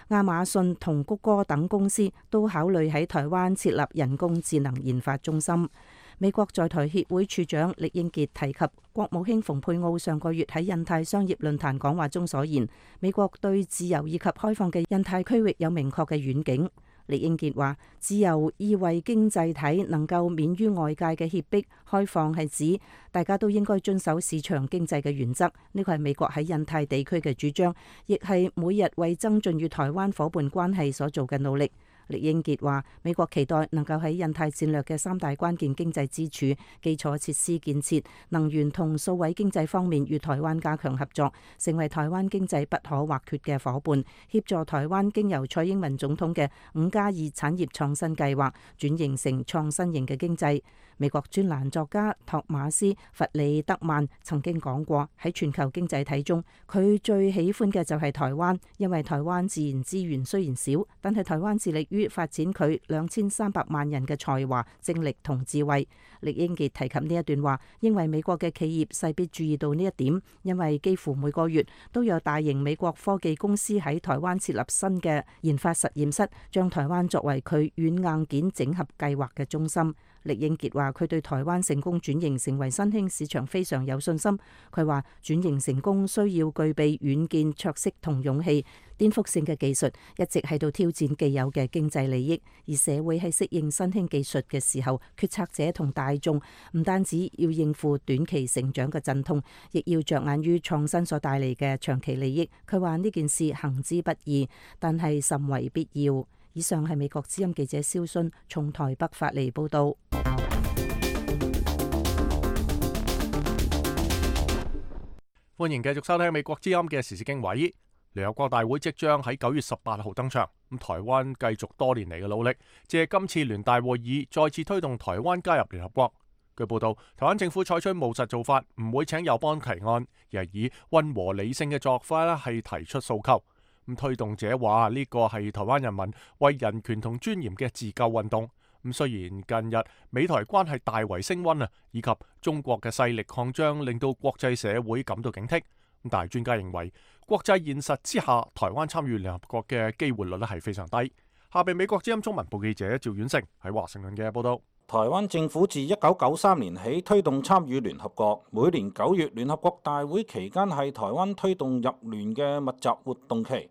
亞馬遜同谷歌等公司都考慮喺台灣設立人工智能研發中心。美國在台協會處長酈英傑提及國務卿蓬佩奧上個月喺印太商業論壇講話中所言，美國對自由以及開放嘅印太區域有明確嘅遠景。酈英傑話：自由意味經濟體能夠免於外界嘅脅迫，開放係指大家都應該遵守市場經濟嘅原則。呢個係美國喺印太地區嘅主張，亦係每日為增進與台灣夥伴關係所做嘅努力。酈英傑話：美國期待能夠喺印太戰略嘅3大關鍵經濟支柱、基礎設施建設、能源同數位經濟方面與台灣加強合作，成為台灣經濟不可或缺嘅夥伴，協助台灣經由蔡英文總統嘅5+2產業創新計劃轉型成創新型嘅經濟。美國專欄作家托馬斯·弗里德曼曾經講過，喺全球經濟體中，佢最喜歡嘅就係台灣，因為台灣自然資源雖然少，但係台灣致力於於發展佢2300萬人嘅才華、精力同智慧。酈英傑提及呢一段話，認為美國嘅企業勢必注意到呢一點，因為幾乎每個月都有大型美國科技公司喺台灣設立新嘅研發實驗室，將台灣作為佢軟硬件整合計劃嘅中心。酈英傑話：佢對台灣成功轉型成為新興市場非常有信心。佢話轉型成功需要具備遠見卓識同勇氣，顛覆性嘅技術一直喺度挑戰既有嘅經濟利益，而社會喺適應新興技術嘅時候，決策者同大眾唔單止要應付短期成長嘅陣痛，亦要着眼於創新所帶嚟嘅長期利益。佢話呢件事行之不易，但係甚為必要。以上係美國之音記者蕭信從台北發嚟報道。歡迎繼續收聽美國之音嘅時事經緯。聯合國大會即將喺9月18號登場，咁台灣繼續多年嚟嘅努力，借今次聯大會議再次推動台灣加入聯合國。據報道，台灣政府採取務實做法，唔會請友邦提案，而係以溫和理性嘅作法係提出訴求。咁推動者話呢個係台灣人民為人權同尊嚴嘅自救運動。咁雖然近日美台關係大為升溫以及中國嘅勢力擴張令到國際社會感到警惕，但係專家認為國際現實之下，台灣參與聯合國嘅機會率係非常低。下邊美國之音中文部記者趙遠成喺華盛頓嘅報道。台灣政府自1993年起推動參與聯合國，每年9月聯合國大會期間係台灣推動入聯嘅密集活動期。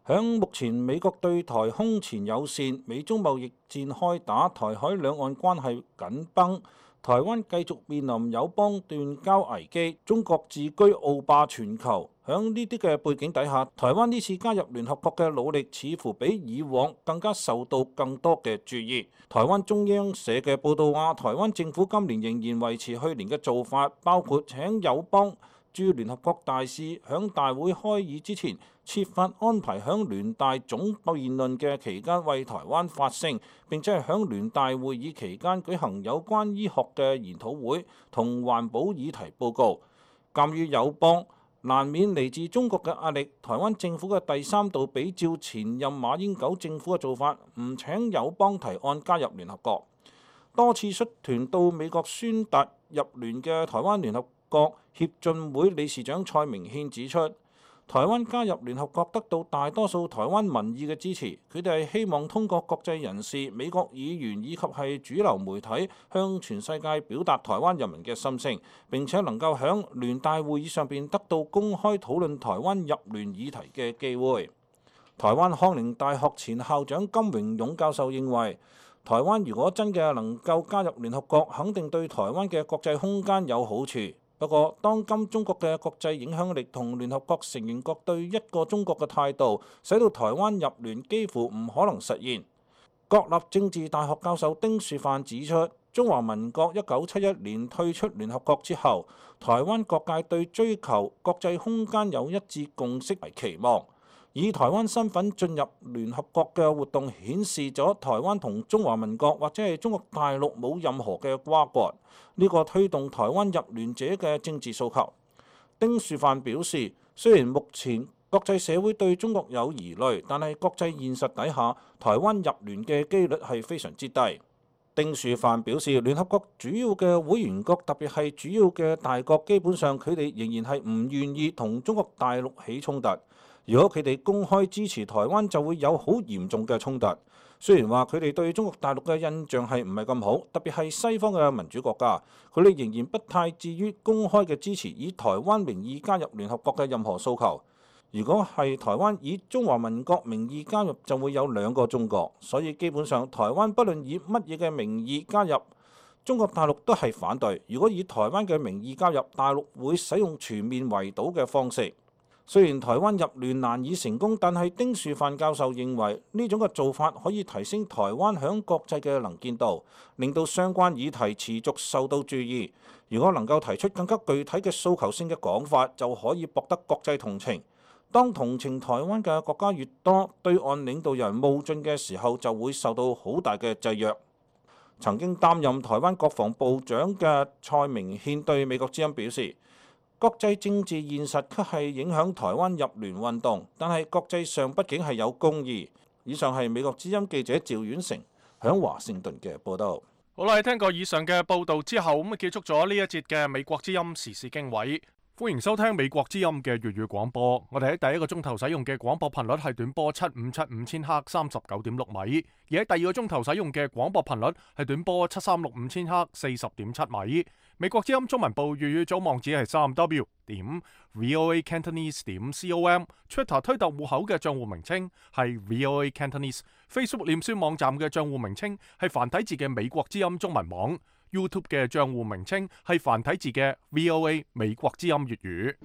響目前美國對台空前友善，美中貿易戰開打，台海兩岸關係緊繃，台灣繼續面臨友邦斷交危機，中國自居傲霸全球。響呢啲嘅背景底下，台灣呢次加入聯合國嘅努力似乎比以往更加受到更多嘅注意。台灣中央社嘅報導話，台灣政府今年仍然維持去年嘅做法，包括請友邦駐聯合國大使響大會開議之前設法安排響聯大總辯論嘅期間為台灣發聲，並且係響聯大會議期間舉行有關醫學嘅研討會同環保議題報告。鑑於友邦難免嚟自中國嘅壓力，台灣政府嘅第三度比照前任馬英九政府嘅做法，唔請友邦提案加入聯合國。多次率團到美國宣達入聯嘅台灣聯合國協進會理事長蔡明憲指出，台灣加入聯合國得到大多數台灣民意嘅支持，佢哋係希望通過國際人士、美國議員以及係主流媒體向全世界表達台灣人民嘅心聲，並且能夠響聯大會議上邊得到公開討論台灣入聯議題嘅機會。台灣康寧大學前校長金榮勇教授認為，台灣如果真嘅能夠加入聯合國，肯定對台灣嘅國際空間有好處。不過，當今中國嘅國際影響力同聯合國成員國對一個中國嘅態度，使到台灣入聯幾乎唔可能實現。國立政治大學教授丁樹範指出，中華民國1971年退出聯合國之後，台灣各界對追求國際空間有一致共識為期望。以台灣身份進入聯合國嘅活動顯示咗台灣同中華民國或者係中國大陸冇任何嘅瓜葛，呢個推動台灣入聯者嘅政治訴求。丁樹範表示，雖然目前國際社會對中國有疑慮，但係國際現實底下，台灣入聯嘅機率係非常之低。丁樹範表示，聯合國主要嘅會員國，特別係主要嘅大國，基本上佢哋仍然係唔願意同中國大陸起衝突。如果佢哋公開支持台灣，就會有好嚴重嘅衝突。雖然話佢哋對中國大陸嘅印象係唔係咁好，特別係西方嘅民主國家，佢哋仍然不太至於公開嘅支持以台灣名義加入聯合國嘅任何訴求。如果係台灣以中華民國名義加入，就會有兩個中國。所以基本上台灣不論以乜嘢嘅名義加入，中國大陸都係反對。如果以台灣嘅名義加入，大陸會使用全面圍堵嘅方式。雖然台灣入聯難以成功，但係丁樹範教授認為呢種嘅做法可以提升台灣響國際嘅能見度，令到相關議題持續受到注意。如果能夠提出更加具體嘅訴求性嘅講法，就可以博得國際同情。當同情台灣嘅國家越多，對岸領導人冒進嘅時候，就會受到好大嘅制約。曾經擔任台灣國防部長嘅蔡明憲對美國之音表示，國際政治現實卻係影響台灣入聯運動，但係國際上畢竟係有公義。以上係美國之音記者趙遠成響華盛頓嘅報道。好啦，聽過以上嘅報道之後，咁結束咗呢一節嘅美國之音時事經緯。歡迎收聽美國之音嘅粵語廣播。我哋喺第一個鐘頭使用嘅廣播頻率係短波7575千赫39.6米，而喺第二個鐘頭使用嘅廣播頻率係短波7365千赫40.7米。美國之音中文部粵語組網址係3w.voacantonese.com，Twitter 推特戶口嘅賬戶名稱係 VOA Cantonese，Facebook 臉書網站嘅賬戶名稱係繁體字嘅美國之音中文網。YouTube 嘅賬戶名稱係繁體字嘅 VOA 美國之音粵語。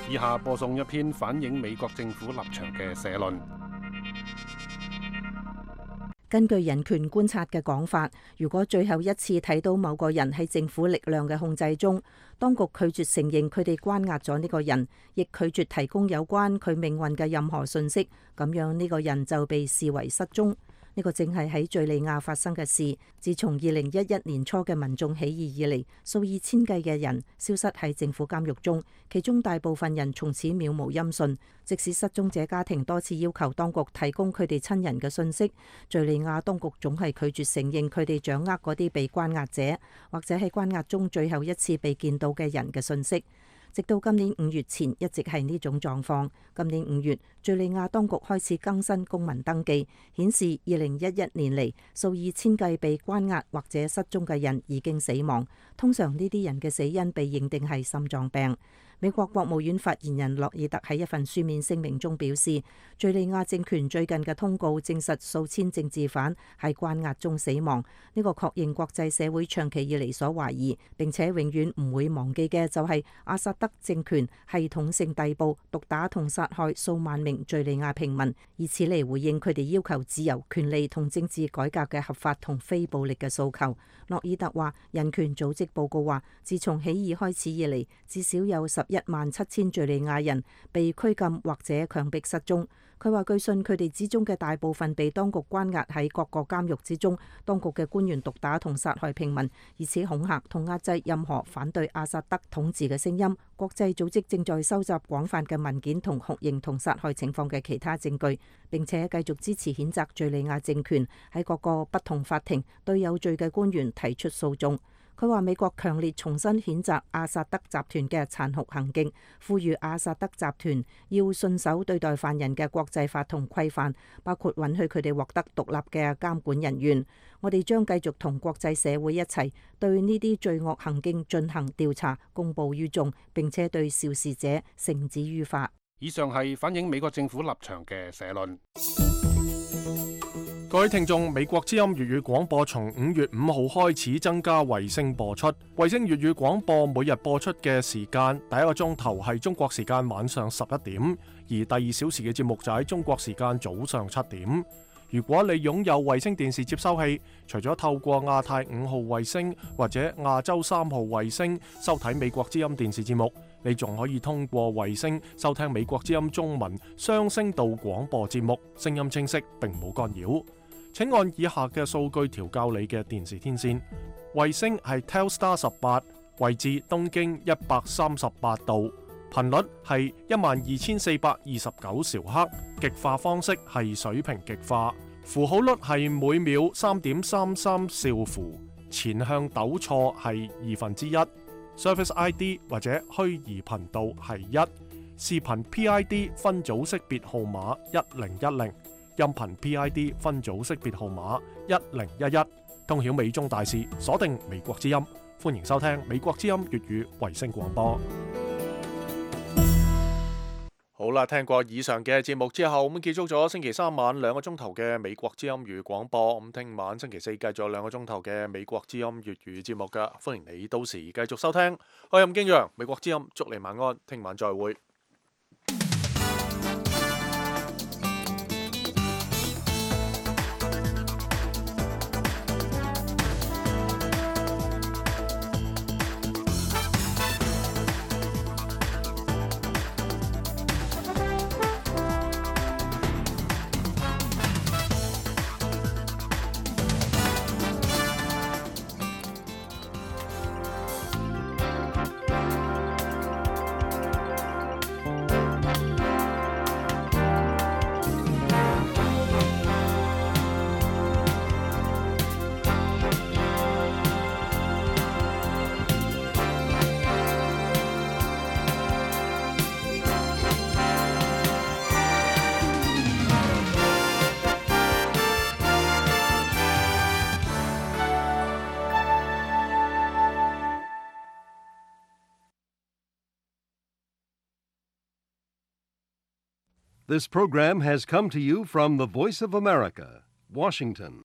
以下播送一篇反映美國政府立場嘅社論。根據人權觀察嘅講法，如果最後一次睇到某個人喺政府力量嘅控制中，當局拒絕承認佢哋關押咗呢個人，亦拒絕提供有關佢命運嘅任何信息，咁樣呢個人就被視為失蹤。呢個正係喺敘利亞發生嘅事。自從2011年初嘅民眾起義以嚟，數以千計嘅人消失喺政府監獄中，其中大部分人從此渺無音訊。即使失蹤者家庭多次要求當局提供佢哋親人嘅信息，敘利亞當局總係拒絕承認佢哋掌握嗰啲被關押者或者喺關押中最後一次被見到嘅人嘅信息。直到今年5月前一直係呢種狀況。今年5月，敘利亞當局開始更新公民登記，顯示2011年嚟數以千計被關押或者失蹤嘅人已經死亡。通常呢啲人嘅死因被認定係心臟病。美國國務院發言人洛爾特喺一份書面聲明中表示，敘利亞政權最近嘅通告證實數千政治犯喺關押中死亡。呢個確認國際社會長期以嚟所懷疑並且永遠唔會忘記嘅就係阿薩德政權系統性逮捕、毒打同殺害數萬名敘利亞平民，以此嚟回應佢哋要求自由、權利同政治改革嘅合法同非暴力嘅訴求。洛爾特話，人權組織報告話，自從起義開始以嚟，至少有117000敘利亞人被拘禁或者強迫失蹤。佢話據信佢哋之中嘅大部分被當局關押喺各個監獄之中，當局嘅官員毒打同殺害平民，以此恐嚇同壓制任何反對阿薩德統治嘅聲音。國際組織正在收集廣泛嘅文件同酷刑同殺害情況嘅其他證據，並且繼續支持譴責敘利亞政權喺各個不同法庭對有罪嘅官員提出訴訟。佢話美國強烈重新譴責阿薩德集團嘅殘酷行徑，呼籲阿薩德集團要信守對待犯人嘅國際法同規範，包括允許佢哋獲得獨立嘅監管人員。我哋將繼續同國際社會一齊對呢啲罪惡行徑進行調查，公佈於眾，並且對肇事者繩之於法。以上係反映美國政府立場嘅社論。各位聽眾，美國之音粵語廣播從5月5號開始增加衛星播出。衛星粵語廣播每日播出嘅時間，第一個鐘頭係中國時間晚上11點，而第2小時嘅節目就喺中國時間早上7點。如果你擁有衛星電視接收器，除咗透過亞太5號衛星或者亞洲3號衛星收睇美國之音電視節目，你仲可以通過衛星收聽美國之音中文雙聲道廣播節目，聲音清晰並冇干擾。請按以下嘅數據調校你嘅電視天線。衛星係 Telstar 18，位置東經138度，頻率係12429兆赫，極化方式係水平極化，符號率係每秒3.33兆符，前向糾錯係1/2。Service ID 或者虛擬頻道係1，視頻 PID 分組識別號碼1010，音頻 PID 分組識別號碼1011，通曉美中大事，鎖定美國之音，歡迎收聽美國之音粵語衛星廣播。好啦，聽過以上嘅節目之後，咁結束咗星期3晚2個鐘頭嘅美國之音粵語廣播。咁聽晚星期4繼續2個鐘頭嘅美國之音粵語節目噶，歡迎你到時繼續收聽。我係任敬揚，美國之音，祝你晚安，聽晚再會。This program has come to you from the Voice of America, Washington.